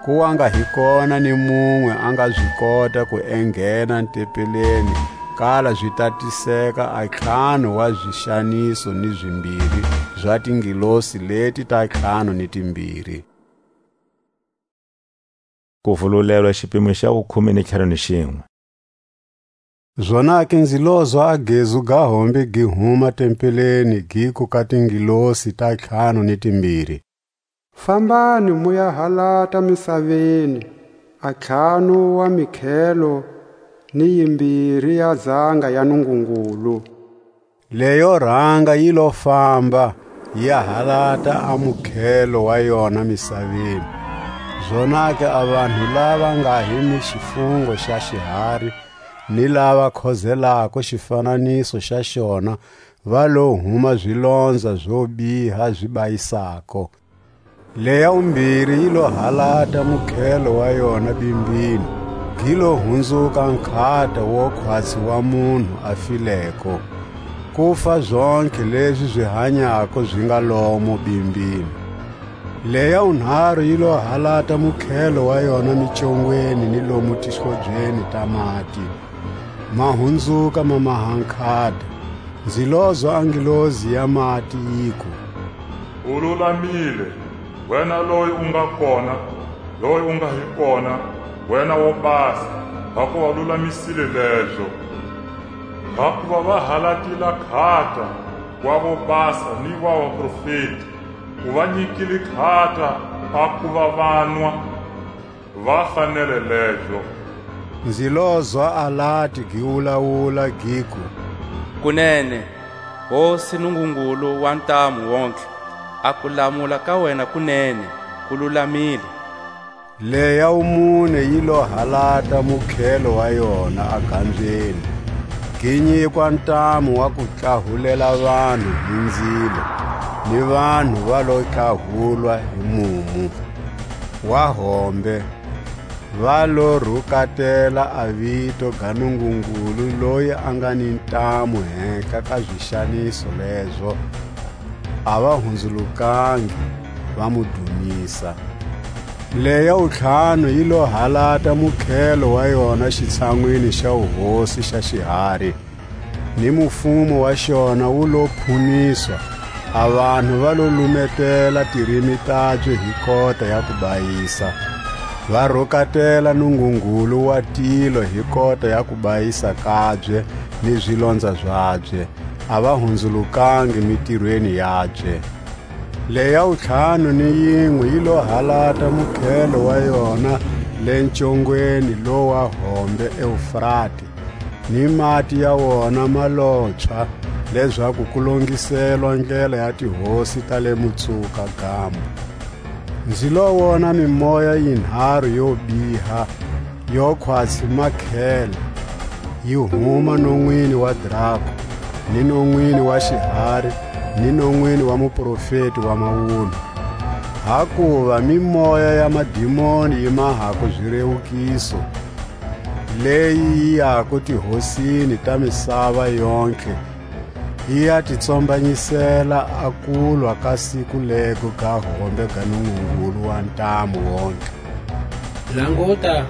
Ku wa nga hi kona ni munwe a nga zi kota ku enghena ntepeleni, kala zi tatiseka a ntlhanu wa zixaniso ni zimbiri za tingilosi leti ta ntlhanu ni timbiri. Ku vululelwa xipimo xa wukhume ni ntlhanu ni xinwe. Zonake nzi lozwa a gezu ga hombe gi huma tempeleni, giku ka tingilosi ta ntlhanu ni timbiri: Fambani mu ya halata misaveni a ntlhanu wa mikhelo ni yimbiri ya zanga ya Nungungulu. Leyo ranga yi lo famba, yi ya halata a mukhelo wa yona misaveni. Zonake a vanhu lava nga hi ni xifungo xa xihari, ni lava khozelako xifananiso xa xona, va lo huma zilonza zo biha zi bayisako. Leya wumbiri yi lo halata mukhelo wa yona bimbini, gi lo hunzuka nkhata wo khwatsi wa munhu a fileko, ku fa zontlhe lezi zi hanyako zi nga lomo bimbini. Leya wunharu yi lo halata mukhelo wa yona micongweni ni lomu tishobyeni ta mati, ma hunzuka ma maha nkhata. Nzi lozwa a ngilozi ya mati yiku: U lulamile, wena loyi u nga kona, loyi u nga hi kona, wena wo basa, hakuva u lulamisile lezo. Hakuva va halatile nkhata wa vo basa ni wa vaprofeti, u va nyikile nkhata a kuva vanwa, va fanele lezo. Nzi lozwa a lati gi wulawula, giku: Kunene, Hosi Nungungulu wa ntamu wontlhe, a kulamula ka wena kunene, ku lulamile. Leya wumune yi lo halata mukhelo wa yona a gambyeni, gi nyikwa ntamu wa kutlahulela vanhu hi nzilo, ni vanhu va lo tlahulwa hi mumu wa hombe, va lo rukatela a vito ga Nungungulu loyi a nga ni ntamu hehla ka zixaniso lezo, a va hunzulukangi, va mu dumisa. Leya wuntlhanu yi lo halata mukhelo wa yona xitshanwini xa wuhosi xa xihari, ni mufumo wa xona wu lo phuniswa, a vanhu va lo lumetela tirimi tabye hi kota ya kubayisa, va rukatela Nungungulu wa tilo hi kota ya kubayisa kabye ni zilonza zabye, a va hunzulukangi mitirweni yabye. Leya wuntlhanu ni yinwe yi lo halata mukhelo wa yona le ncongweni lowa hombe Eufrate, ni mati ya wona ma lotshwa, lezaku ku longiselwa ndlela ya tihosi ta le mutsuka gamu. Nzi lo wona mimoya yinharu yo biha, yo khwatsi makhele, yi huma nonwini wa draku, ni nonwini wa xihari, ni nonwini wa muprofeti wa mawunwa. Hakuva mimoya ya madimoni yi mahako zirewukiso, leyi yi yako tihosini ta misava yontlhe, yi ya ti tsombanyisela a kulwa ka siku lego ga hombe ga Nungungulu wa ntamu wontlhe. Languta,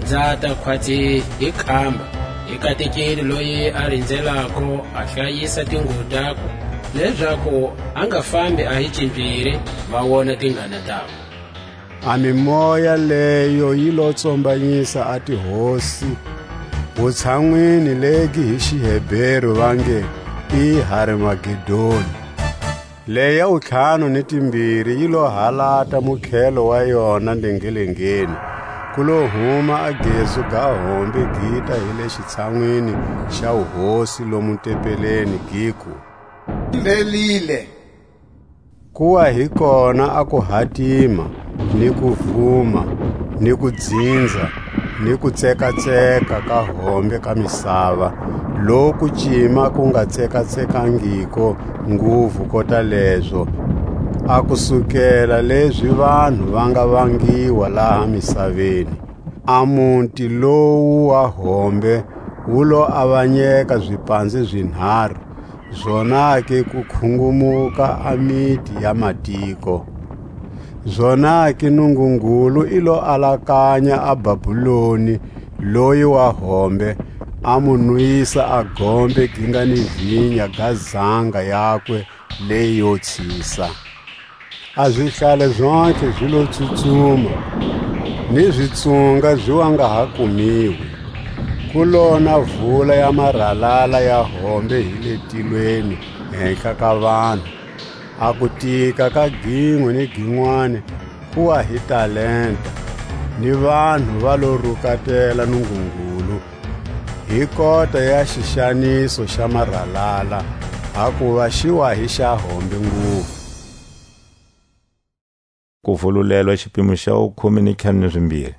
nza ta khwatsi hi kamba, hi katekeni loyi a rinzelako a hlayisa tinguvu takwe, lezaku a nga fambi a hi cimbiri, va wona tingana takwe. A mimoya leyo yi lo tsombanyisa a tihosi, wutshanwini legi hi xiHeberu va nge i Harmagedoni. Leya wutlhanu ni timbiri yi lo halata mukhelo wa yona ndengelengeni, ku lo huma a gezu ga hombe gita hi le xitshanwini xa wuhosi lomu tempeleni, giku: Mbhelile! Ku wa hi kona a kuhatima, ni kuvuma, ni kudzinza, ni kutsekatseka ka hombe ka misava, loku cima ku nga tsekatsekangiko nguvu kota lezo, a kusukela lezi vanhu va nga vangiwa laha misaveni. A muti lowu wa hombe wu lo avanyeka zipanze zinharu, zonake ku khungumuka a miti ya matiko. Zonake Nungungulu i lo alakanya a Babuloni loyi wa hombe, a mu nwisa a gombe gi nga ni vinya ga zanga yakwe leyo tshisa. A zihlale zontlhe zi lo tsutsuma, ni zitsunga zi wa nga ha kumiwi. Ku lona vula ya maralala ya hombe hi le tilweni hehla ka vanhu, A kutika ka ginwe ni ginwani ku wa hi talenta, ni vanhu va lo rukatela Nungungulu, hi kota ya xixaniso xa maralala, hakuva xi wa hi xa hombe nguvu. Kuvululelwa xipimo xa wukhume ni ntlhanu ni zimbiri.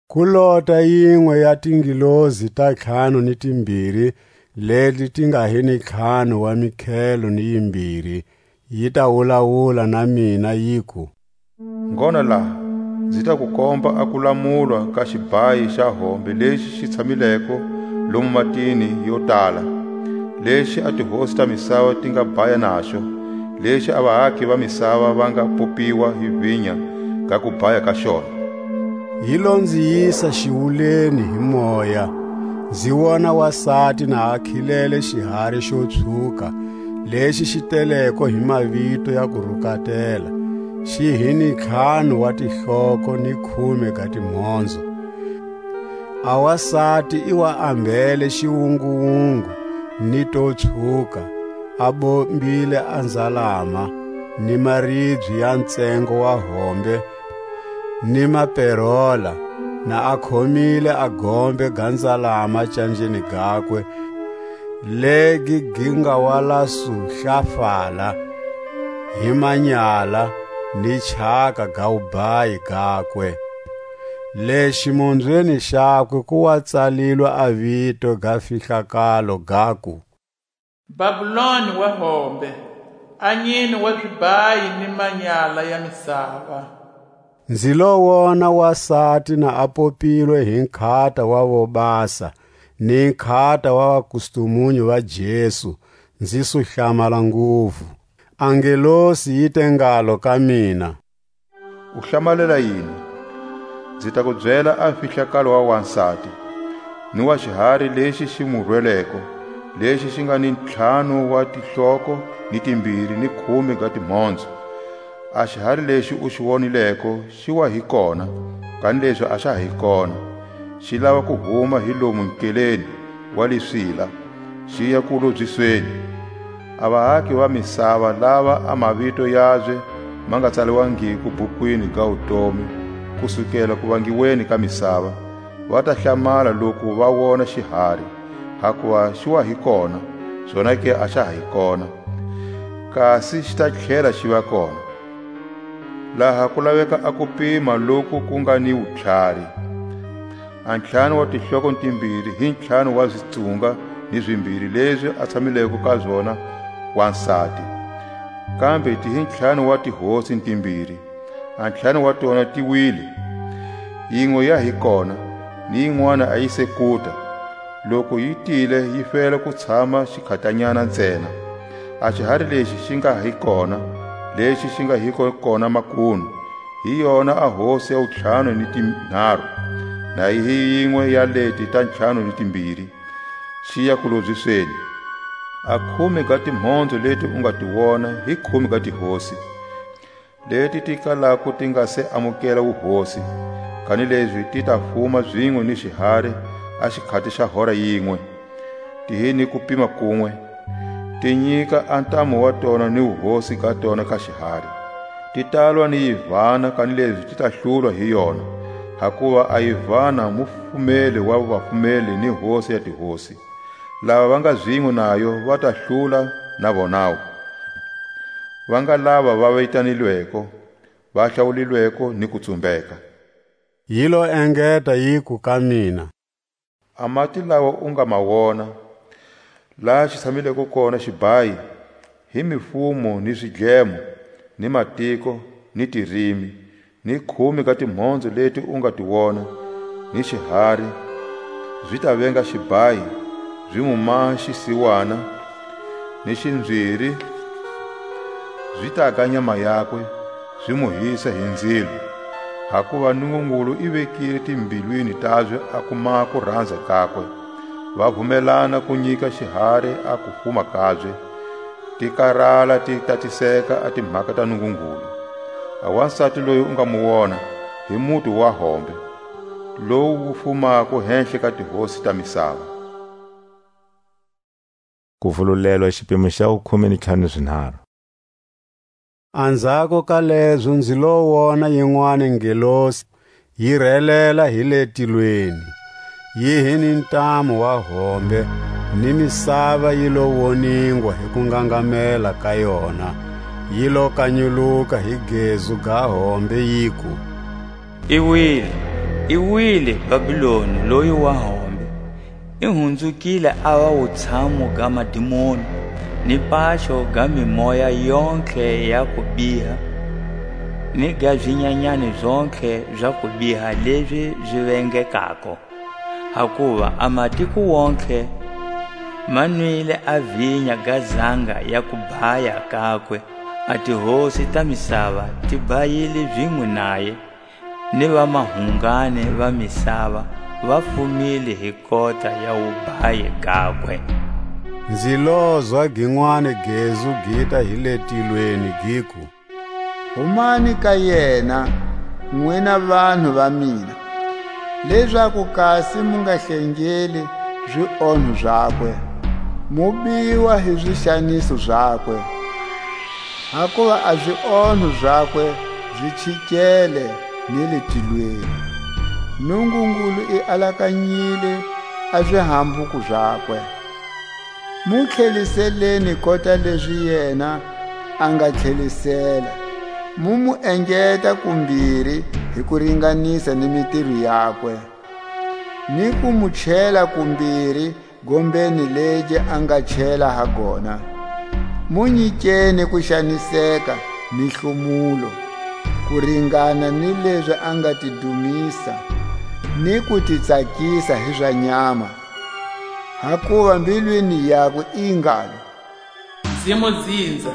Ku lota yinwe ya tingilozi ta ntlhanu ni timbiri, leti ti nga hi ni ntlhanu wa mikhelo ni yimbiri, yi ta wulawula na mina, yiku: Ngona laha, nzi ta ku komba a kulamulwa ka xibhayi xa hombe lexi xi tshamileko lomu matini yo tala, lexi a tihosi ta misava ti nga bhaya naxo, lexi a vaaki va misava va nga popiwa hi vinya ga kubhaya ka xona. Yi lo nzi yisa xiwuleni hi moya, nzi wona wasati na a khilele xihari xo tshuka, lexi xi teleko hi mavito ya kurukatela, xi hi ni ntlhanu wa tihloko ni khume ga timhondzo. A wasati i wa ambele xiwunguwungu ni to tshuka, a bombile a nzalama ni maribye ya ntsengo wa hombe, ni maperola, na a khomile a gombe ga nzalama canjeni gakwe, legi gi nga wa la suhlafala hi manyala ni chaka ga wubhayi gakwe. Le ximunzweni xakwe ku wa tsalilwe a vito ga fihlakalo, gaku: Babuloni wa hombe, a nyine wa zibhayi ni manyala ya misava. Nzi lo wona wasati na a popilwe hi nkhata wa vobasa, ni nkhata wa vakustumunyu va Jesu, nzi su hlamala nguvu. A ngelosi yi te ngalo ka mina: U hlamalela yini? Nzi ta ku byela a mfihlakalo wa wansati, ni wa xihari lexi xi mu rweleko, lexi xi nga ni ntlhanu wa tihloko ni timbiri ni khume ga timhondzo. A xihari lexi u xi wonileko xi wa hi kona, kanilezi a xa ha hi kona, xi lava ku huma hi lomu nkeleni wa le Swila, xi ya kulobyisweni. A vaaki va misava lava a mavito yabye ma nga tsaliwangiko bukwini ga wutomi kusukela kuvangiweni ka misava, va ta hlamala loku va wona xihari, hakuva xi wa hi kona, zonake a xa ha hi kona, kasi xi ta tlhela xi va kona. Laha ku laveka a kupima loku ku nga ni wutlhari. A ntlhanu wa tihloko timbiri hi ntlhanu wa zitsunga ni zimbiri lezi a tshamileko ka zona wansati, kambe ti hi ntlhanu wa tihosi timbiri. A ntlhanu wa tona ti wile, yinwe ya hi kona, ni yin'wana a yi se kuta. Loku yi tile, yi fela ku tshama xikhatanyana ntsena. A xihari lexi xi nga hi kona, lexi xi nga hiko kona makunu, hi yona a hosi ya wutlhanu ni tinharhu, na yi hi yinwe ya leti ta ntlhanu ni timbiri, xi ya kulobyisweni. A khume ga timhondzo leti u nga ti wona hi khume ga tihosi, leti ti kalako ti nga se amukela wuhosi, kanilezi ti ta fuma zinwe ni xihari a xikhati xa hora yinwe, ti hi ni kupima kunwe, ti nyika a ntamu wa tona ni wuhosi ga tona ka xihari. Ti talwa ni yivana, kanilezi ti ta hlulwa hi yona, hakuva a yivana mufumeli wa vafumeli ni hosi ya tihosi. Lava va nga zinwe nayo va ta hlula na vonawu. Va nga lava va vitanilweko, va hlawulilweko ni ku tsumbeka. Yi lo engeta, yiku ka mina: A mati lawa u nga ma wona, laha xi tshamileko kona xibhayi, hi mifumo ni zidlemo, ni matiko, ni tirimi, ni khume ga timhondzo leti u nga ti wona, ni xihari, zi ta venga xibhayi, zi mu maha xisiwana, ni xinzwiri, zi ta ga nyama yakwe, zi mu hisa hi nzilo. Hakuva Nungungulu i vekile timbilwini tabye a ku maha kuranza kakwe. Va vumelana ku nyika xihari a kufuma kabye, ti karala ti tatiseka a timhaka ta Nungungulu. A wansati loyi u nga mu wona, hi muti wa hombe, lowu wu fumako henhla ka tihosi ta misava. Kuvululelwa xipimo xa wukhume ni ntlhanu ni zinharhu. Anzhako ka lezo nzi lo wona yinwani ngelosi yi relela hi le tilweni, yi hi ni ntamu wa hombe, ni misava yi lo woningwa hi kungangamela ka yona, yi lo kanyuluka hi gezu ga hombe, yiku: I wile, i wile Babiloni loyi wa hombe, i hunzukile a va wutshamu ga madimoni, ni paxo ga mimoya yontlhe ya kubiha, ni ga zinyanyani zontlhe za kubiha lezi zi vengekako. Hakuva a matiko wontlhe ma nwile a vinya ga zanga ya kubhaya kakwe, a tihosi ta misava ti bhayile zinwe naye, ni vamahungani va misava va fumile hi kota ya wubhayi gakwe. Nzi lozwa ginwani gezu gita hi le tilweni, giku: Humani ka yena, nwina vanhu va mina, lezaku kasi mu nga hlengeli zionho zakwe, mu biwa hi zixaniso zakwe. Hakuva a zionho zakwe zi chikele ni le tilweni, Nungungulu i alakanyile a zihambuko zakwe. Mu tlheliseleni kota lezi yena a nga tlhelisela, mu mu engeta kumbiri hi ku ringanisa ni mitiro yakwe, ni ku mu chela kumbiri gombeni legi a nga chela ha gona. Mu nyikeni ku xaniseka ni nhlumulo, ku ringana ni lezi a nga ti dumisa, ni ku ti tsakisa hi za nyama. Hakuva mbilwini yakwe i ngalo: Nzi mu dzinza,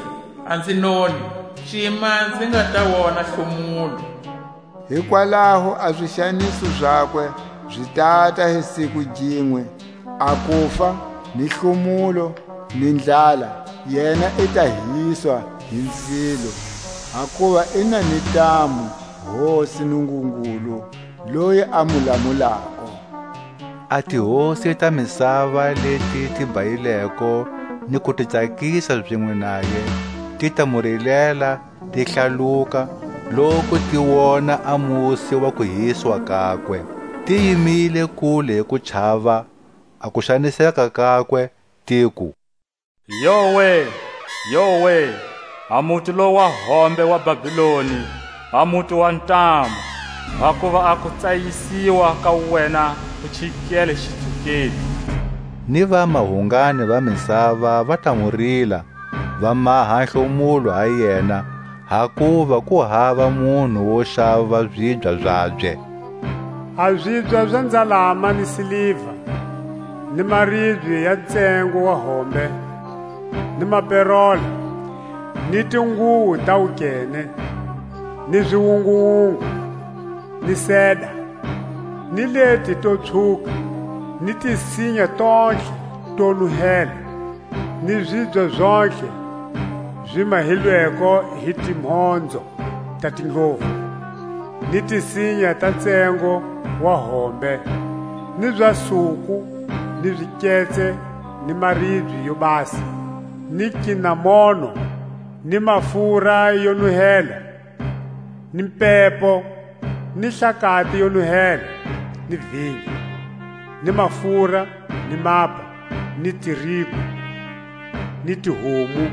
a nzi noni, cima nzi nga ta wona nhlumulo. Hikwalaho a zixaniso zakwe zi tata hi siku ginwe, a kufa, ni nhlumulo, ni ndlala, yena i ta hiswa hi nzilo, hakuva i na ni ntamu Hosi Nungungulu, loyi a mu lamulako. A tihosi ta misava leti ti bayileko ni ku ti tsakisa zinwe naye, ti ta mu rilela, ti hlaluka, loku ti wona a musi wa kuhiswa kakwe. Ti yimile kule hi kuchava a kuxaniseka kakwe, tiku: Yowe, yowe, a muti lo wa hombe wa Babiloni, a muti wa ntamu, hakuva a kutsayisiwa ka wena ku chikele xitsukeni! Ni vamahungani va misava va ta mu rila, va maha nhlumulo ha yena, hakuva ku hava munhu wo xava zibya zabye. A zibya za nzalama ni siliva, ni maribye ya ntsengo wa hombe, ni maperola, ni tinguwo ta wukene, ni ziwunguwungu, ni seda, ni leti to tshuka, ni tinsinya tontlhe to nuhela, ni zibya zontlhe zi mahilweko hi timhondzo ta tindlovu, ni tinsinya ta ntsengo wa hombe, ni za suku, ni ziketse, ni maribye yo basa, ni kinamono, ni mafura yo nuhela, ni mpepo, ni hlakati yo nuhela, ni vinya, ni mafura, ni mapa, ni tirigu, ni tihomu,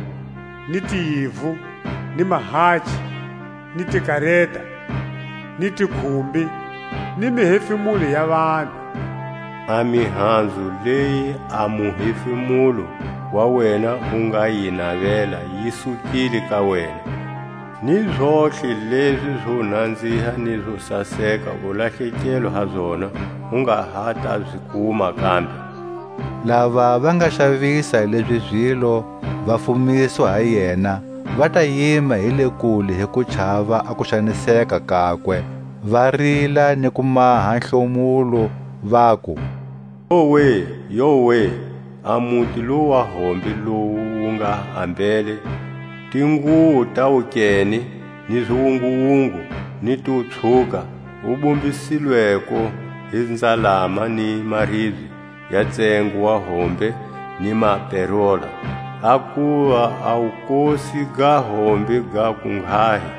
ni tiyivu, ni mahachi, ni tikareta, ni tikhumbi, ni mihefemulo ya vanhu. A mihanzu leyi a muhefemulo wa wena wu nga yi navela yi sukile ka wena, ni zontlhe lezi zo nanziha ni zo saseka u lahlekelo ha zona, u nga ha ta zi kuma kambe. Lava va nga xavisa lezi zilo, va fumiswa ha yena, va ta yima hi le kule hi ku chava a kuxaniseka kakwe, va rila ni ku maha nhlomulo, vaku: Yowe, yowe, a muti lo wa hombe lowu wu nga ambele tinguwo ta wukene, ni ziwunguwungu, ni to tshuka, wu bombisilweko hi nzalama ni maribye ya ntsengo wa hombe ni maperola! Hakuva a wukosi ga hombe gaku nghahi,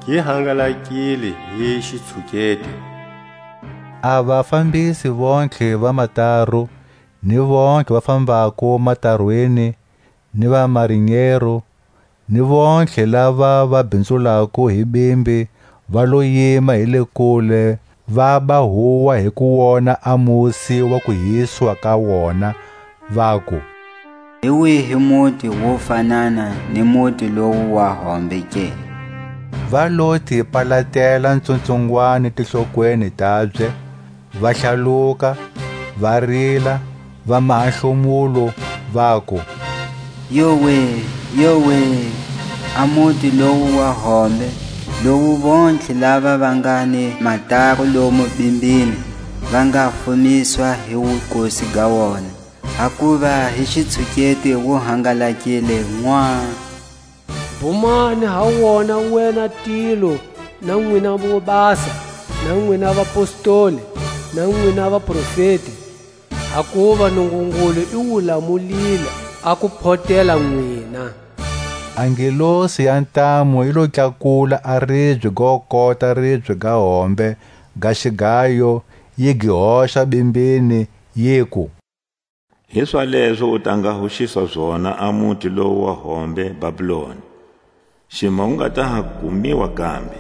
gi hangalakile hi xitshuketi. A vafambisi vontlhe va mataru, ni vontlhe va fambako matarwini, ni va marinyero, ni vontlhe lava va binzulako hi bimbi, va lo yima hi le kule, va ba huwa hi ku wona a musi wa kuhiswa ka wona, vaku: Hi wihi muti wo fanana ni muti lowu wa hombe ke? Va lo ti palatela ntsuntsungwani tihlokweni tabye, va hlaluka, va rila, va maha hlomulo, vaku: Yowe, yowe, a muti lowu wa hombe, lowu vontlhe lava va nga ni matako lomu bimbini va nga fumiswa hi wukosi ga wona! Hakuva hi xitshuketi wu hangalakile ñwa. Bumani ha wona wena Tiro, na nwina vobasa, na nwina vapostoli, na nwina vaprofeti, hakuva Nungungulu i wu lamulile a ku photela nwina. A ngelosi ya ntamu yi lo tlakula a ribye go kota ribye ga hombe ga xigayo, yi gi hoxa bimbini, yiku: Hi swalezo u ta nga huxiswa zona a muti lowu wa hombe Babiloni, xima wu nga ta ha kumiwa kambe.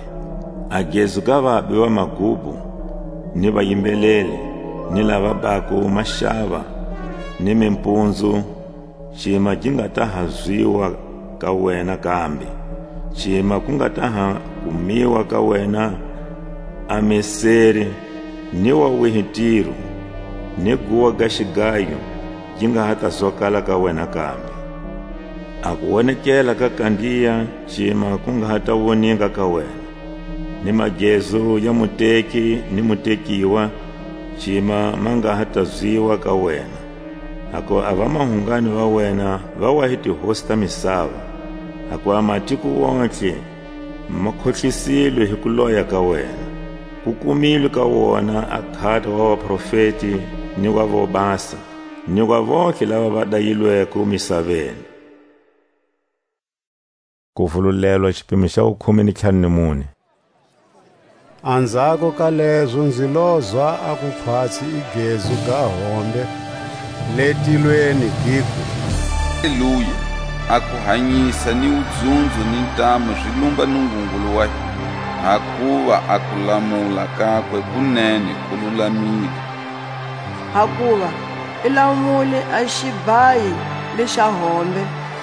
A gezu ga vabi va magubu, ni vayimbeleli, ni lava bako maxava, ni mimpunzu, xima gi nga ta ha zwiwa ka wena kambe, xima ku nga ta ha kumiwa ka wena a meseri, ni wa wihi Tiro, ni guwa ga xigayo gi nga ha ta zwakala ka wena kambe. A kuwonekela ka kandiya xima ku nga ha ta woninga ka wena, ni magezu ya muteki ni mutekiwa xima ma nga ha ta zwiwa ka wena. Hakuva a vamahungani va wena va wa hi tihosi ta misava, hakuva a matiko wontihe ma khohlisilwe hi kuloya ka wena. Ku kumilwe ka wona a khata wa vaprofeti ni wa vobasa, ni wa vontlhe lava va dayilweko misaveni. Kuvululelwa, xipimo xa wukhume ni ntlhanu ni mune. Anzhako ka lezo nzi lozwa a kukhwatsi i gezu ga hombe le tilweni, giku: Haleluya! A kuhanyisa ni wudzunzo ni ntamu zi lumba Nungungulu wa hina, hakuva a kulamula kakwe kunene ku lulamile. Hakuva i lamule a xibhayi lexa hombe,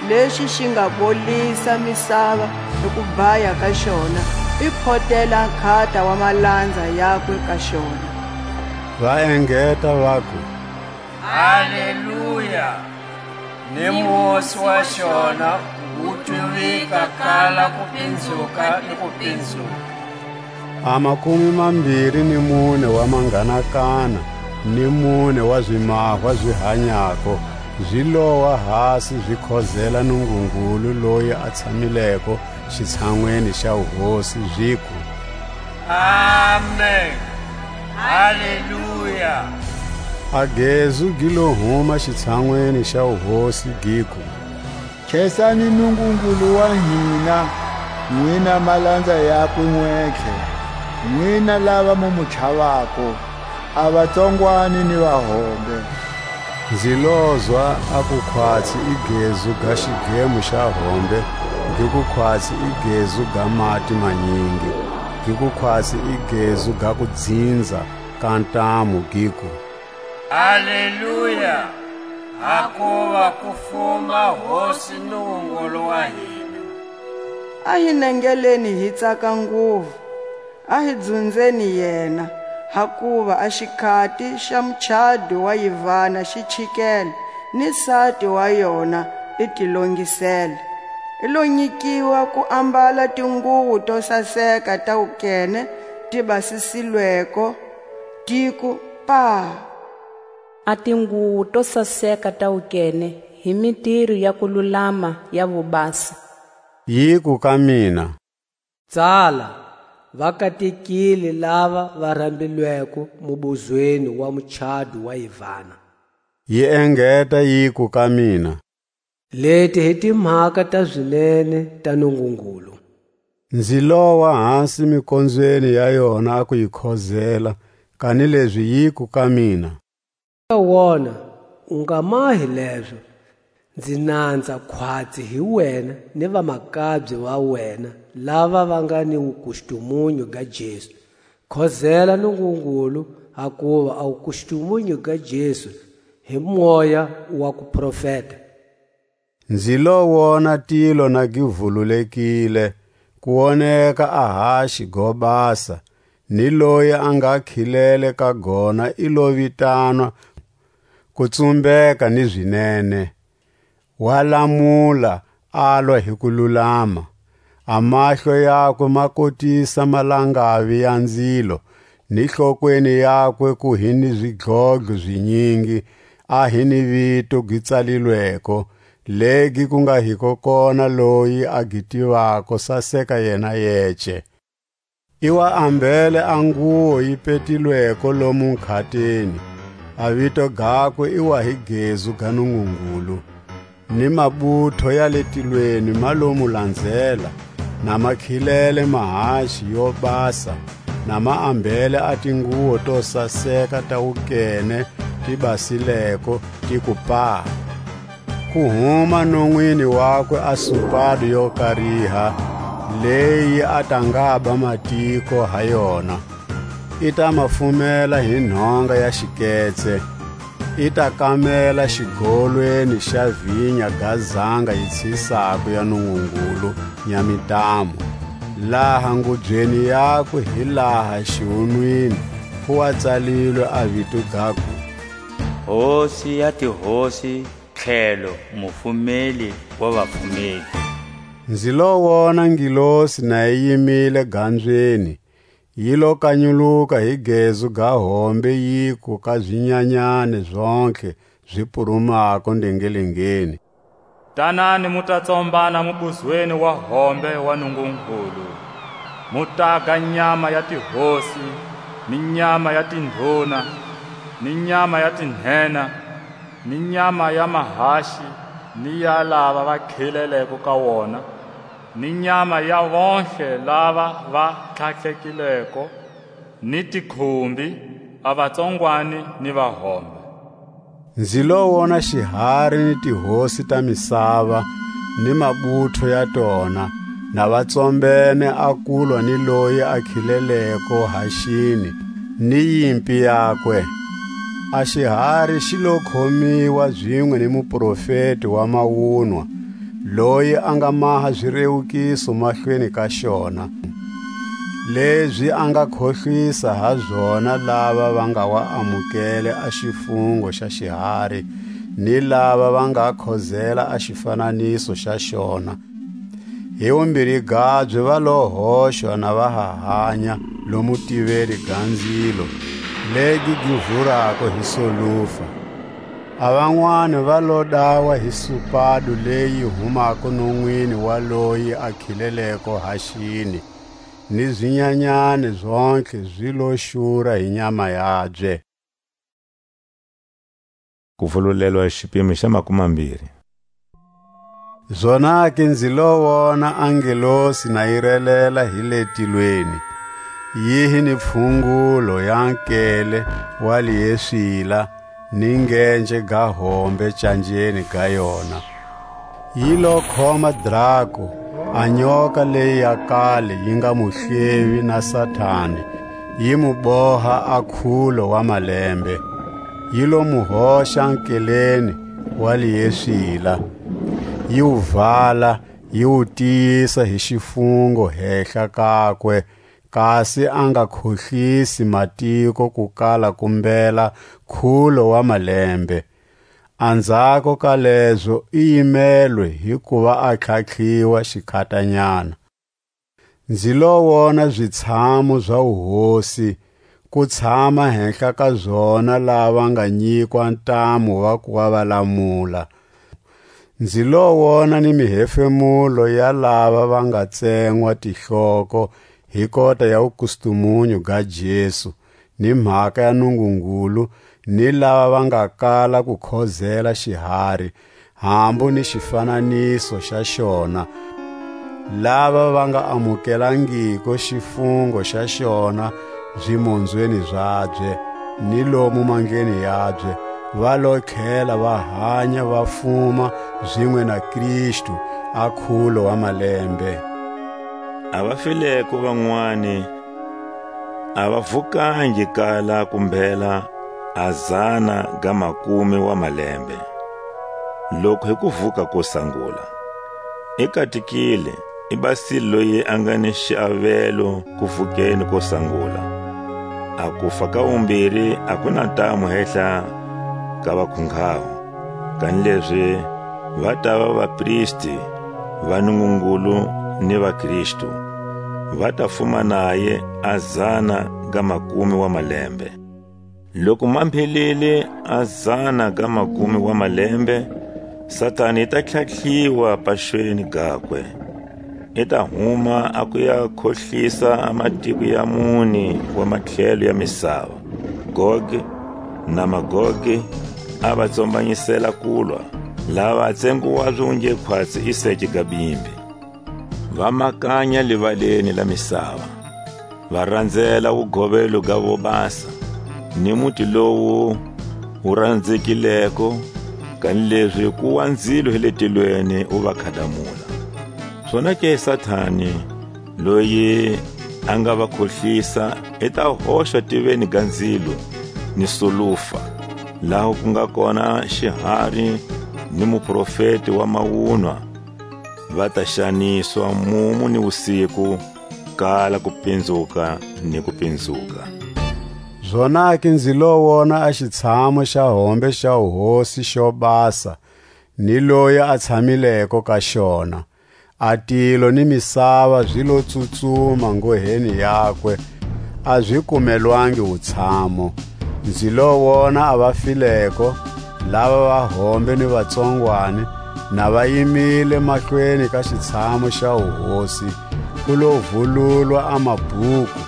lexi xi nga bolisa misava hi kubhaya ka xona, i photela nkhata wa malanza yakwe ka xona. Va engeta, vaku: Haleluya! Ni musi wa xona wu twivika kala kupinzuka ni kupinzuka. A makume mambiri ni mune wa manganakana ni mune wa zimahwa zi hanyako zi lowa hasi, zi khozela Nungungulu loyi a tshamileko xitshanwini xa wuhosi, ziku: Amen. Haleluya! A gezu gi lo huma xitshanwini xa wuhosi, giku: Khensani Nungungulu wa hina, nwina malanza yakwe nwentlhe, nwina lava mu mu chavako, a vatsongwani ni vahombe. Nzi lozwa a kukhwatsi i gezu ga xidlemo xa hombe, gi kukhwatsi i gezu ga mati manyingi, gi kukhwatsi i gezu ga kudzinza ka ntamu, giku: Aleluya! Hakuva ku fuma Hosi Nungungulu wa hina. A hi nengeleni hi tsaka nguvu, a hi dzunzeni yena, hakuva a xikhati xa muchado wa yivana xi chikele, ni sati wa yona i ti longisele. I lo nyikiwa ku ambala tinguvu to saseka ta wukene ti basisilweko, tiku paa. A tinguvu to saseka ta wukene hi mitiro ya kululama ya vobasa. Yiku ka mina: Tsala, va katekile lava va rambilweko mubuzweni wa muchado wa yivana. Yi engeta yiku ka mina: Leti hi timhaka ta zinene ta Nungungulu. Nzi lowa hasi mikonzweni ya yona a ku yi khozela, kanilezi yiku ka mina: Wona, u nga mahi lezo, nzi nanza khwatsi hi wena ni vamakabye va wena, lava va nga ni wukustumunyu ga Jesu. Khozela Nungungulu, hakuva a wukustumunyu ga Jesu hi moya wa kuprofeta. Nzi lo wona tilo na gi vululekile, ku woneka a haxi go basa, ni loyi a nga khilele ka gona i lo vitanwa ku tsumbeka ni zinene. Wa lamula, alwa hi kululama. A mahlo yakwe ma kotisa malangavi ya nzilo, ni hlokweni yakwe ku hi ni zidlodlo zinyingi, a hi ni vito gi tsalilweko, legi ku nga hiko kona loyi a gi tivako saseka yena yece. I wa ambele a nguwo yi petilweko lomu nkhateni, a vito gakwe i wa hi Gezu ga Nungungulu. Ni mabutho ya le tilweni ma lo mu lanzela, na ma khilele mahaxi yo basa, na ma ambele a tinguwo to saseka ta wukene ti basileko, ti ku paa. Ku huma nonwini wakwe a supadu yo kariha, leyi a ta ngaba matiko ha yona. I ta ma fumela hi nhonga ya xiketse, i ta kamela xigolweni xa vinya ga zanga yi tshisako ya Nungungulu nya mitamu, laha ngubyeni yakwe hi laha xiwunwini ku wa tsalilwe a vito gaku: Hosi ya tihosi, tlhelo Mufumeli wa vafumeli. Nzi lo wona ngilosi na yi yimile ganzweni, yi lo kanyuluka hi gezu ga hombe, yiku ka zinyanyani zontlhe zi purumako ndengelengeni: Tanani, mu ta tsombana mubuzweni wa hombe wa Nungungulu, mu taga nyama ya tihosi, ni nyama ya tindhuna, ni nyama ya tinhena, ni nyama ya mahaxi, ni ya lava va khileleko ka wona, ni nyama ya vontlhe lava va tlhatlhekileko, ni tikhumbi, a vatsongwani ni vahombe. Nzi lo wona xihari ni tihosi ta misava, ni mabutho ya tona, na va tsombene a kulwa ni loyi a khileleko haxini, ni yimpi yakwe. A xihari xi lo khomiwa zinwe ni muprofeti wa mawunwa, loyi a nga maha zirewukiso mahlweni ka xona, lezi a nga khohlisa ha zona lava va nga wa amukele a xifungo xa xihari, ni lava va nga khozela a xifananiso xa xona. Hi wumbiri gabye va lo hoxwa na va ha hanya lomu tiveni ga nzilo, legi gi vurako hi solufa. A vanwani va lo dawa hi supadu leyi humako nonwini wa loyi a khileleko haxini, ni zinyanyani zontlhe zi lo xura hi nyama yabye. Ku vululelwa xipimo xa makumambiri. Zonake nzi lo wona a ngelosi na yi relela hi le tilweni, yi hi ni pfungulo ya nkele wa lieswila, ni ngenje ga hombe canjeni ga yona. Yi lo khoma draku, a nyoka leyi ya kale yi nga muhlevi na Satani, yi mu boha a khulo wa malembe, yi lo mu hoxa nkeleni wa lieswila, yi wu vala, yi wu tiyisa hi xifungo hehla kakwe, kasi a nga khohlisi matiko ku kala ku mbela khulo wa malembe. Anzhako ka lezo i yimelwe hi kuva a tlhatlhiwa xikhatanyana. Nzi lo wona zitshamu za wuhosi, ku tshama henhla ka zona lava nga nyikwa ntamu wa ku wa va lamula. Nzi lo wona ni mihefemulo ya lava va nga tsengwa tihloko hi kota ya wukustumunyu ga Jesu, ni mhaka ya Nungungulu, ni lava va nga kala ku khozela xihari, hambu ni xifananiso xa xona. Lava va nga amukelangiko xifungo xa xona zimonzweni zabye, ni lomu mandleni yabye, va lo tlhela va hanya va fuma zinwe na Kristu a khulo wa malembe. A va fileko vanwani a va vukangi kala ku mbhela a zana ga makume wa malembe, loku hi kuvuka ko sangula. I katikile, i basile loyi a nga ni xiavelo kuvukeni ko sangula. A kufa ka wumbiri a ku na ntamu hehla ka vakhunghaho, kanilezi va tava vapristi va Nungungulu ni vaKristu, va ta fuma naye a zana ga makume wa malembe. Loku ma mbhelile a zana ga makume wa malembe, Satani i ta tlhatlhiwa paxweni gakwe. I ta huma a ku ya khohlisa a matiko ya mune wa matlhelo ya misava, Goge na Magoge, a va tsombanyisela kulwa, lava a tsengo wabye wu nge khwatsi i sece ga bimbi. Va makanya livaleni la misava, va ranzela wugovelo ga vobasa, ni muti lowu wu ranzekileko, kanilezi ku wa nzilo hi le tilweni wu va khadamula. Zonake Satani, loyi a nga va khohlisa, i ta hoxa tiveni ga nzilo ni sulufa, laha ku nga kona xihari ni muprofeti wa mawunwa, va ta xaniswa mumu ni wusiku, kala ku pinzuka ni ku pinzuka. Zonake nzi lo wona a xitshamo xa hombe xa wuhosi xo basa, ni loyi a tshamileko ka xona. A tilo ni misava zi lo tsutsuma ngoheni yakwe, a zi kumelwangi wutshamo. Nzi lo wona a va fileko, lava va hombe ni vatsongwani, na va yimile mahlweni ka xitshamo xa wuhosi, ku lo vululwa a mabhuku,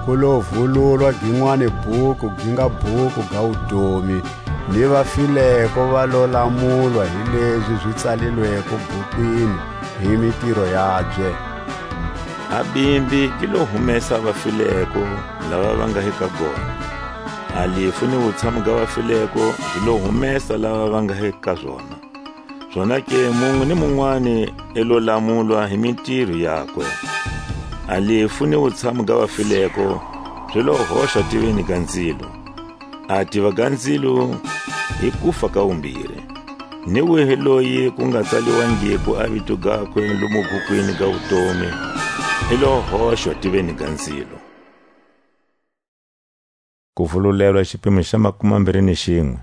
ku lo vululwa ginwani bhuku gi nga bhuku ga wutomi, ni va fileko va lo lamulwa hi lezi zi tsalilweko bhukwini hi mitiro yabye. A bimbi gi lo humesa va fileko lava va nga hi ka gona. A lifu ni wutshamu ga va fileko zi lo humesa lava va nga hi ka zona. Zonake munwe ni munwani i lo lamulwa hi mitiro yakwe. A lifu ni wutshamu ga va fileko zi lo hoxa tiveni ga nzilo. A tiva ga nzilo i kufa ka wumbiri. Ni wihi loyi ku nga tsaliwangiko a vito gakwe lomu bhukwini ga wutomi, i lo hoxwa tiveni ga nzilo. Ku vululelwa xipimo xa makume mambiri ni xinwe.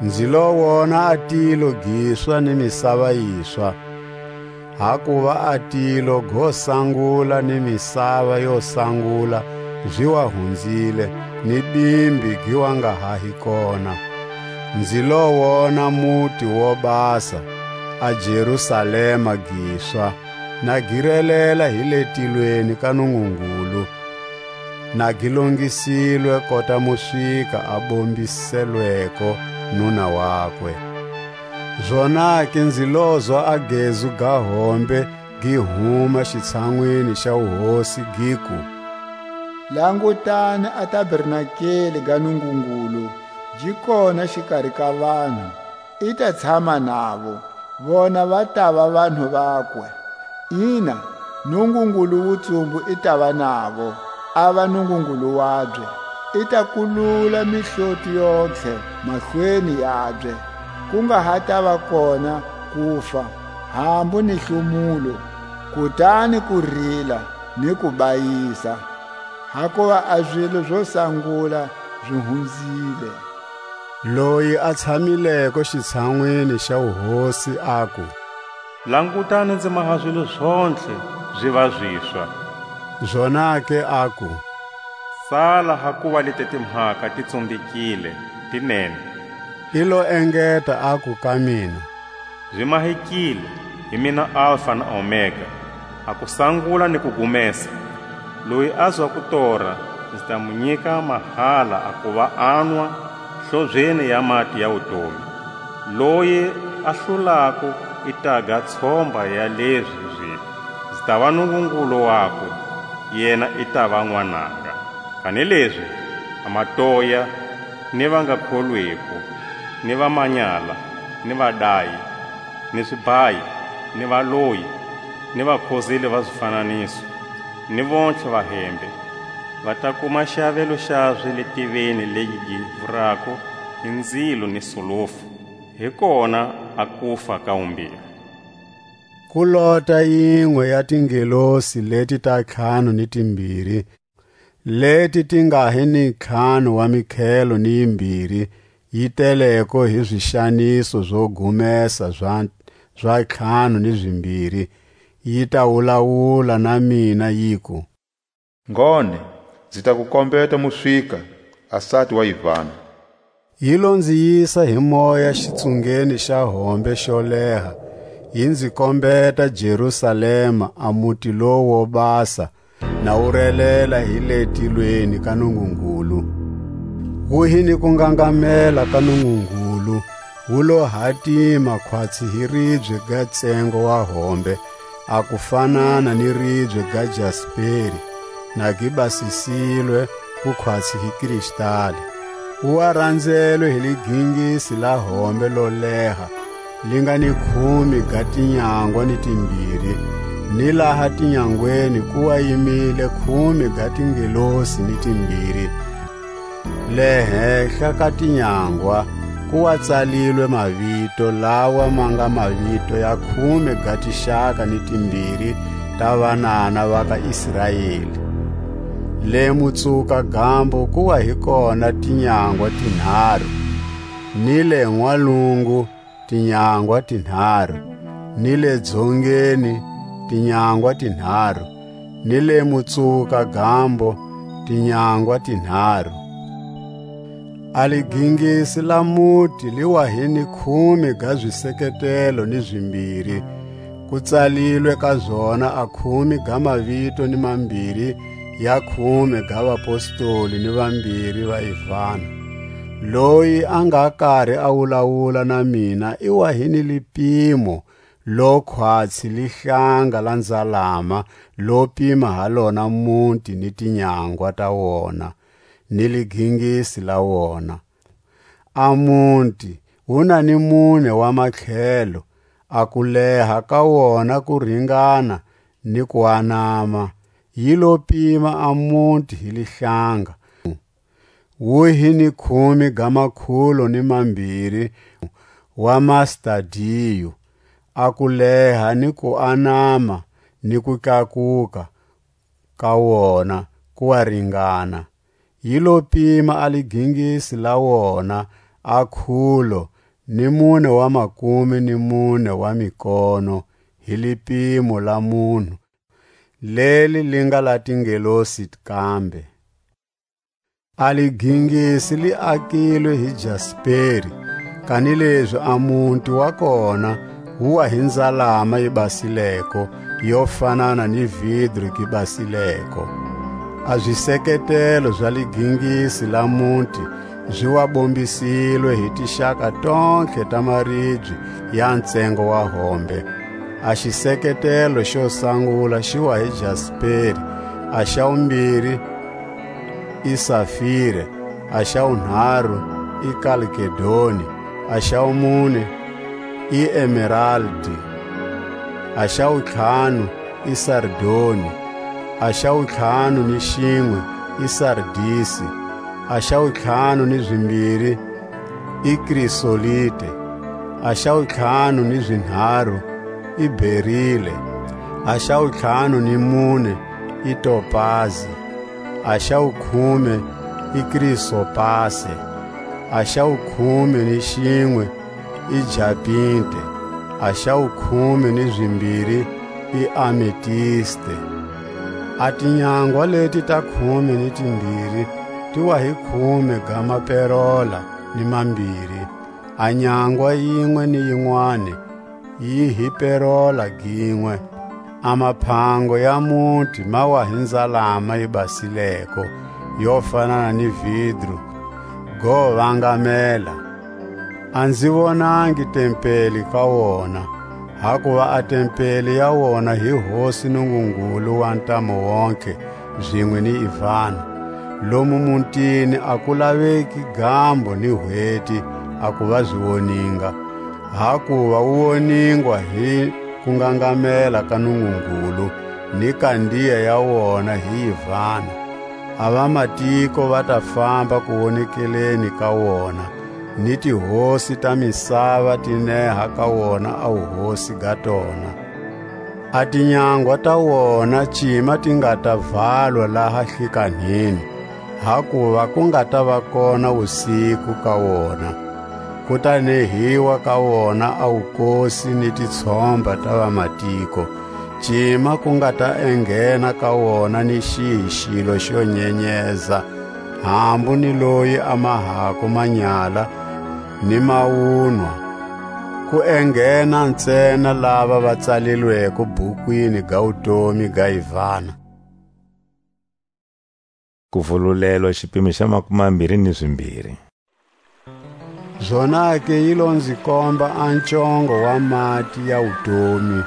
Nzi lo wona a tilo giswa ni misava yiswa, hakuva a tilo go sangula ni misava yo sangula zi wa hunzile, ni bimbi gi wa nga ha hi kona. Nzi lo wona muti wo basa, a Jerusalema giswa, na gi relela hi le tilweni ka Nungungulu, na gi longisilwe kota muswika a bombiselweko nuna wakwe. Zonake nzi lozwa a gezu ga hombe gi huma xitshanwini xa wuhosi, giku: Langutani, a tabernakeli ga Nungungulu gi kona xikari ka vanhu, i ta tshama navo, vona va tava vanhu vakwe. Ina, Nungungulu wutsumbu i tava navo, a va Nungungulu wabye. I ta kulula mihloti yontlhe mahlweni yabye, ku nga ha tava kona kufa, hambu ni hlumulo, kutani ku rila ni ku bayisa, hakuva a zilo zo sangula zi hunzile. Loyi a tshamileko xitshanwini xa wuhosi aku: Langutani, nzi maha zilo zontlhe zi va ziswa. Zonake aku: Tsala, hakuva leti timhaka ti tsumbekile, ti nene. I lo engeta aku ka mina: Zi mahekile, hi mina Alfa na Omega, a ku sangula ni ku gumesa. Loyi a zwa ku tora, nzi ta mu nyika mahala a kuva a nwa hlobyeni ya mati ya wutomi. Loyi A hlulako i ta ga tshomba ya lezi zilo, zi tava Nungungulu wakwe, yena i tava n'wananga. Kanilezi a matoya, ni va nga kholwiko, ni vamanyala, ni vadai, ni zibhayi, ni valoyi, ni vakhozeli va zifananiso, ni vontlhe vahembe, va ta kuma xiavelo xabye le tiveni legi gi vurako hi nzilo ni sulufu. Hi kona a kufa ka wumbiri. Ku lota yinwe ya tingelosi leti ta ntlhanu ni timbiri, leti ti nga hi ni ntlhanu wa mikhelo ni yimbiri, yi teleko hi zixaniso zo gumesa za, za ntlhanu ni zimbiri, yi ta wulawula na mina, yiku: Ngone, nzi ta ku kombeta muswika, a sati wa yivana. Yi lo nzi yisa hi moya xitsungeni xa hombe xo leha, yi nzi kombeta Jerusalema, a muti lowu wo basa, na wu relela hi le tilweni ka Nungungulu. Wu hi ni kungangamela ka Nungungulu, wu lo hatima khwatsi hi ribye ga ntsengo wa hombe, a ku fanana ni ribye ga jasperi, na gi basisilwe ku khwatsi hi kristali. Wu wa ranzelwe hi ligingisi la hombe lo leha, li nga ni khume ga tinyangwa ni timbiri, ni laha tinyangweni ku wa yimile khume ga tingelosi ni timbiri. Le henhla ka tinyangwa ku wa tsalilwe mavito, lawa ma nga mavito ya khume ga tixaka ni timbiri ta vanana va ka Israeli. Le mutsuka gambo ku wa hi kona tinyangwa tinharu, ni le n'walungu tinyangwa tinharu, ni le dzongeni tinyangwa tinharu, ni le mutsuka gambo tinyangwa tinharu. A ligingisi la muti li wa hi ni khume ga ziseketelo ni zimbiri, ku tsalilwe ka zona a khume ga mavito ni mambiri ya khume ga vapostoli ni vambiri va Ivana. Loyi a nga kari a wulawula na mina i wa hi ni lipimo, lo khwatsi lihlanga la nzalama, lo pima ha lona muti ni tinyangwa ta wona, ni ligingisi la wona. A muti wu na ni mune wa matlhelo, a kuleha ka wona ku ringana ni kuanama, yi lo pima a muti hi lihlanga. Wu hi ni khume ga makhulu ni mambiri wa mastadiyo, a kuleha ni kuanama ni kutlakuka ka wona ku wa ringana. Yi lo pima a ligingisi la wona a khulo ni mune wa makume ni mune wa mikono, hi lipimo la munhu, leli li nga la tingelosi kambe. A ligingisi li akilwe hi jasperi, kanilezi a muti wa kona wu wa hi nzalama yi basileko, yo fanana ni vidru gi basileko. A ziseketelo za ligingisi la muti zi wa bombisilwe hi tixaka tontlhe ta maribye ya ntsengo wa hombe. A xiseketelo xo sangula xi wa hi jasperi, a xa wumbiri i safire, a xa wunharu i kalkedoni, a xa wumune i emeraldi, a xa wuntlhanu i sardoni, a xa wuntlhanu ni xinwe i sardisi, a xa wuntlhanu ni zimbiri i krisolite, a xa wuntlhanu ni zinharu i berile, a xa wuntlhanu ni mune i topazi, a xa wukhume i krisopase, a xa wukhume ni xinwe i japinte, a xa wukhume ni zimbiri i ametiste. A tinyangwa leti ta khume ni timbiri ti wa hi khume ga maperola ni mambiri, a nyangwa yinwe ni yinwani yi hi perola ginwe. A maphango ya muti ma wa hi nzalama yi basileko, yo fanana ni vidru, go vangamela. A nzi vonangi tempeli ka wona, hakuva a tempeli ya wona hi Hosi Nungungulu wa ntamu wontihe, zinwe ni Ivana. Lomu mutini a ku laveki gambo ni hweti a ku va zi woninga, hakuva wu woningwa hi kungangamela ka Nungungulu, ni kandiya ya wona hi Ivana. A vamatiko va ta famba kuwonekeleni ka wona, ni tihosi ta misava ti neha ka wona a wuhosi ga tona. A tinyangwa ta wona cima ti nga ta valwa laha hlikanhini, hakuva ku nga ta va kona wusiku ka wona. Ku ta nehiwa ka wona a wukosi ni titshomba ta vamatiko, cima ku nga ta enghena ka wona ni xihi xilo xo nyenyeza, hambu ni loyi a mahako manyala ni mawunwa, ku enghena ntsena lava va tsalilweko bukwini ga wutomi ga Ivana. Kuvululelwa, xipimo xa makumambiri ni zimbiri. Zonake yi lo nzi komba a ncongo wa mati ya wutomi,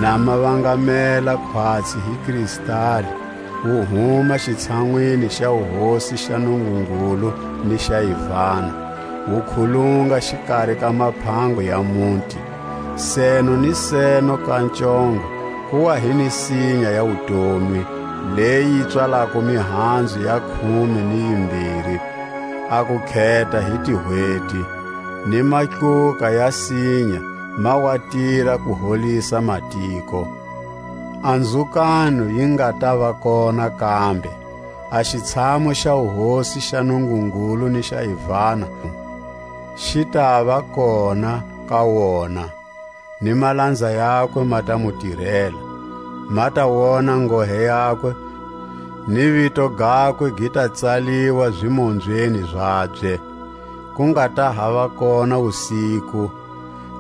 na ma vangamela khwatsi hi kristali, wu huma xitshanwini xa wuhosi xa Nungungulu ni xa Ivana, wu khulunga xikari ka maphango ya muti. Seno ni seno ka ncongo ku wa hi ni sinya ya wutomi, leyi yi tswalako mihanzu ya khume ni yimbiri, a ku kheta hi tihweti, ni matluka ya sinya ma wa tira ku holisa matiko. A nzukano yi nga ta va kona kambe, a xitshamu xa wuhosi xa Nungungulu ni xa Ivana xi ta va kona ka wona, ni malanza yakwe ma ta mu tirela. Ma ta wona ngohe yakwe, ni vito gakwe gi ta tsaliwa zimonzweni zabye. Ku nga ta ha va kona wusiku,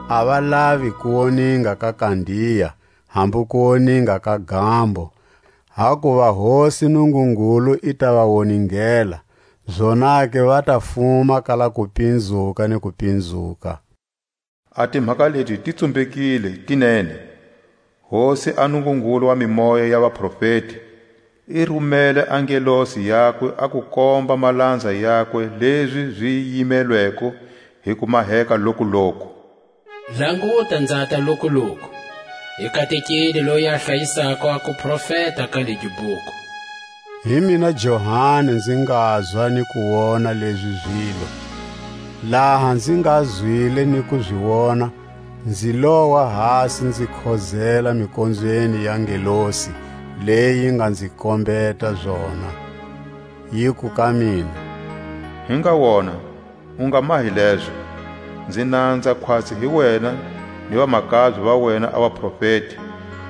a va lavi ku woninga ka kandiya, hambu ku woninga ka gambo, hakuva Hosi Nungungulu i ta va woningela, zonake va ta fuma kala kupinzuka ni kupinzuka. A timhaka leti ti tsumbekile tinene. Hosi a Nungungulu wa mimoya ya vaprofeti i rumele a ngelosi yakwe a ku komba malanza yakwe lezi zi yimelweko hi kumaheka lokuloku. Languta, nzata lokuloku, hi katekile loyi a hlayisako a kuprofeta ka legi buku. Hi mina Johani nzi ngazwa ni ku wona lezi zilo. Laha nzi nga zwile ni ku zi wona, nzi lowa hasi nzi khozela mikonzweni ya ngelosi leyi nga nzi kombeta zona. Yiku ka mina: Hi nga wona, u nga mahi lezo, nzi nanza khwatsi hi wena ni vamakabye va wena a vaprofeti,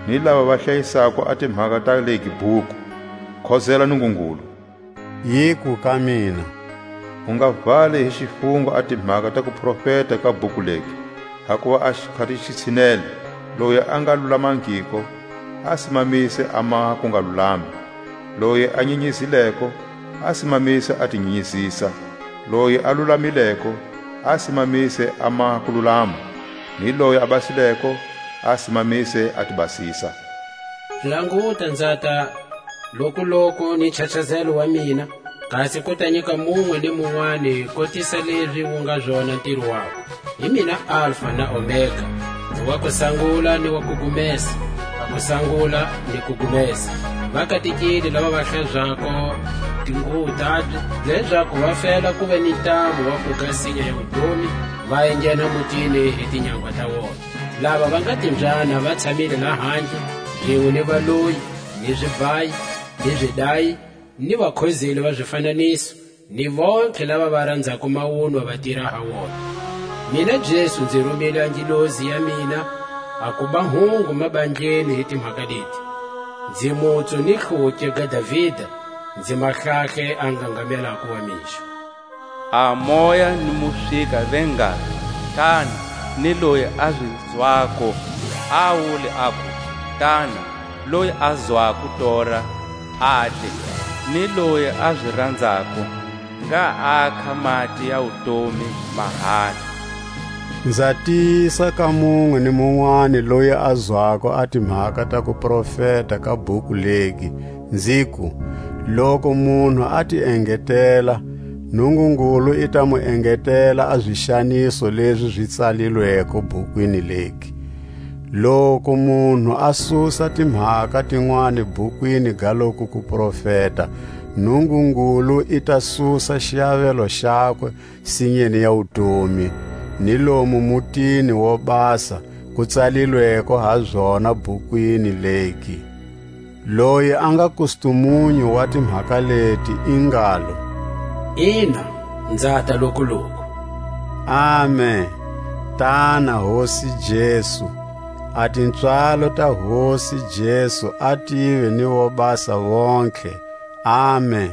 ni lava va hlayisako a timhaka ta legi buku. Khozela Nungungulu. Yiku ka mina: U nga vali hi xifungo a timhaka ta kuprofeta ka buku legi, hakuva a xikhati xi tshinele. Loyi a nga lulamangiko, a simamise a maha ku nga lulami. Loyi a nyinyizileko, a simamise a tinyinyizisa. Loyi a lulamileko, a simamise a maha ku lulama, ni loyi a basileko, a simamise a tibasisa. Languta, nzata lokuloku ni nchachazelo wa mina, kasi ku ta nyika munwe ni munwani kotisa lezi wu nga zona ntiro wakwe. Hi mina Alfa na Omega, wa ku sangula ni wa ku gumesa, a ku sangula ni ku gumesa. Vakatekile lava va hlazako tinguvu tabye, lezaku va fela ku ve ni ntamu wa ku ga sinya ya wutomi, va enghena mutini hi tinyangwa ta wona. Lava va nga timbyana va tshamile lahandle, zinwe ni valoyi, ni zibhayi, ni zidayi, ni vakhozeli va zifananiso, ni vontlhe lava va ranzako mawunwa va tira ha wona. Mina Jesu nzi rumile a ngilozi ya mina a ku ba hungu mabandleni hi timhaka leti. Nzi mutsu ni hlutye ga Davida, nzi mahlahle a ngangamelako wa mixo. A moya ni mufika ve ngalo: Tani! Ni loyi a zi zwako, a wule aku: Tani! Loyi a zwako tora, a te; ni loyi a zi ranzako, ngha a kha mati ya wutomi mahala. Nza tiyisa ka munwe ni munwani loyi a zwako a timhaka ta kuprofeta ka bhuku legi, nziku: Loku munhu a ti engetela, Nungungulu i ta mu engetela a zixaniso lezi zi tsalilweko bhukwini legi. Loku munhu a susa timhaka tinwani bhukwini ga loku kuprofeta, Nungungulu i ta susa xiavelo xakwe sinyeni ya wutomi, ni lomu mutini wo basa ku tsalilweko ha zona bhukwini legi. Loyi a nga kustumunyu wa timhaka leti i ngalo: Ina, nzata lokuloku. Amen. Tana, Hosi Jesu. A tintswalo ta Hosi Jesu a tive ni vobasa vontlhe. Amen.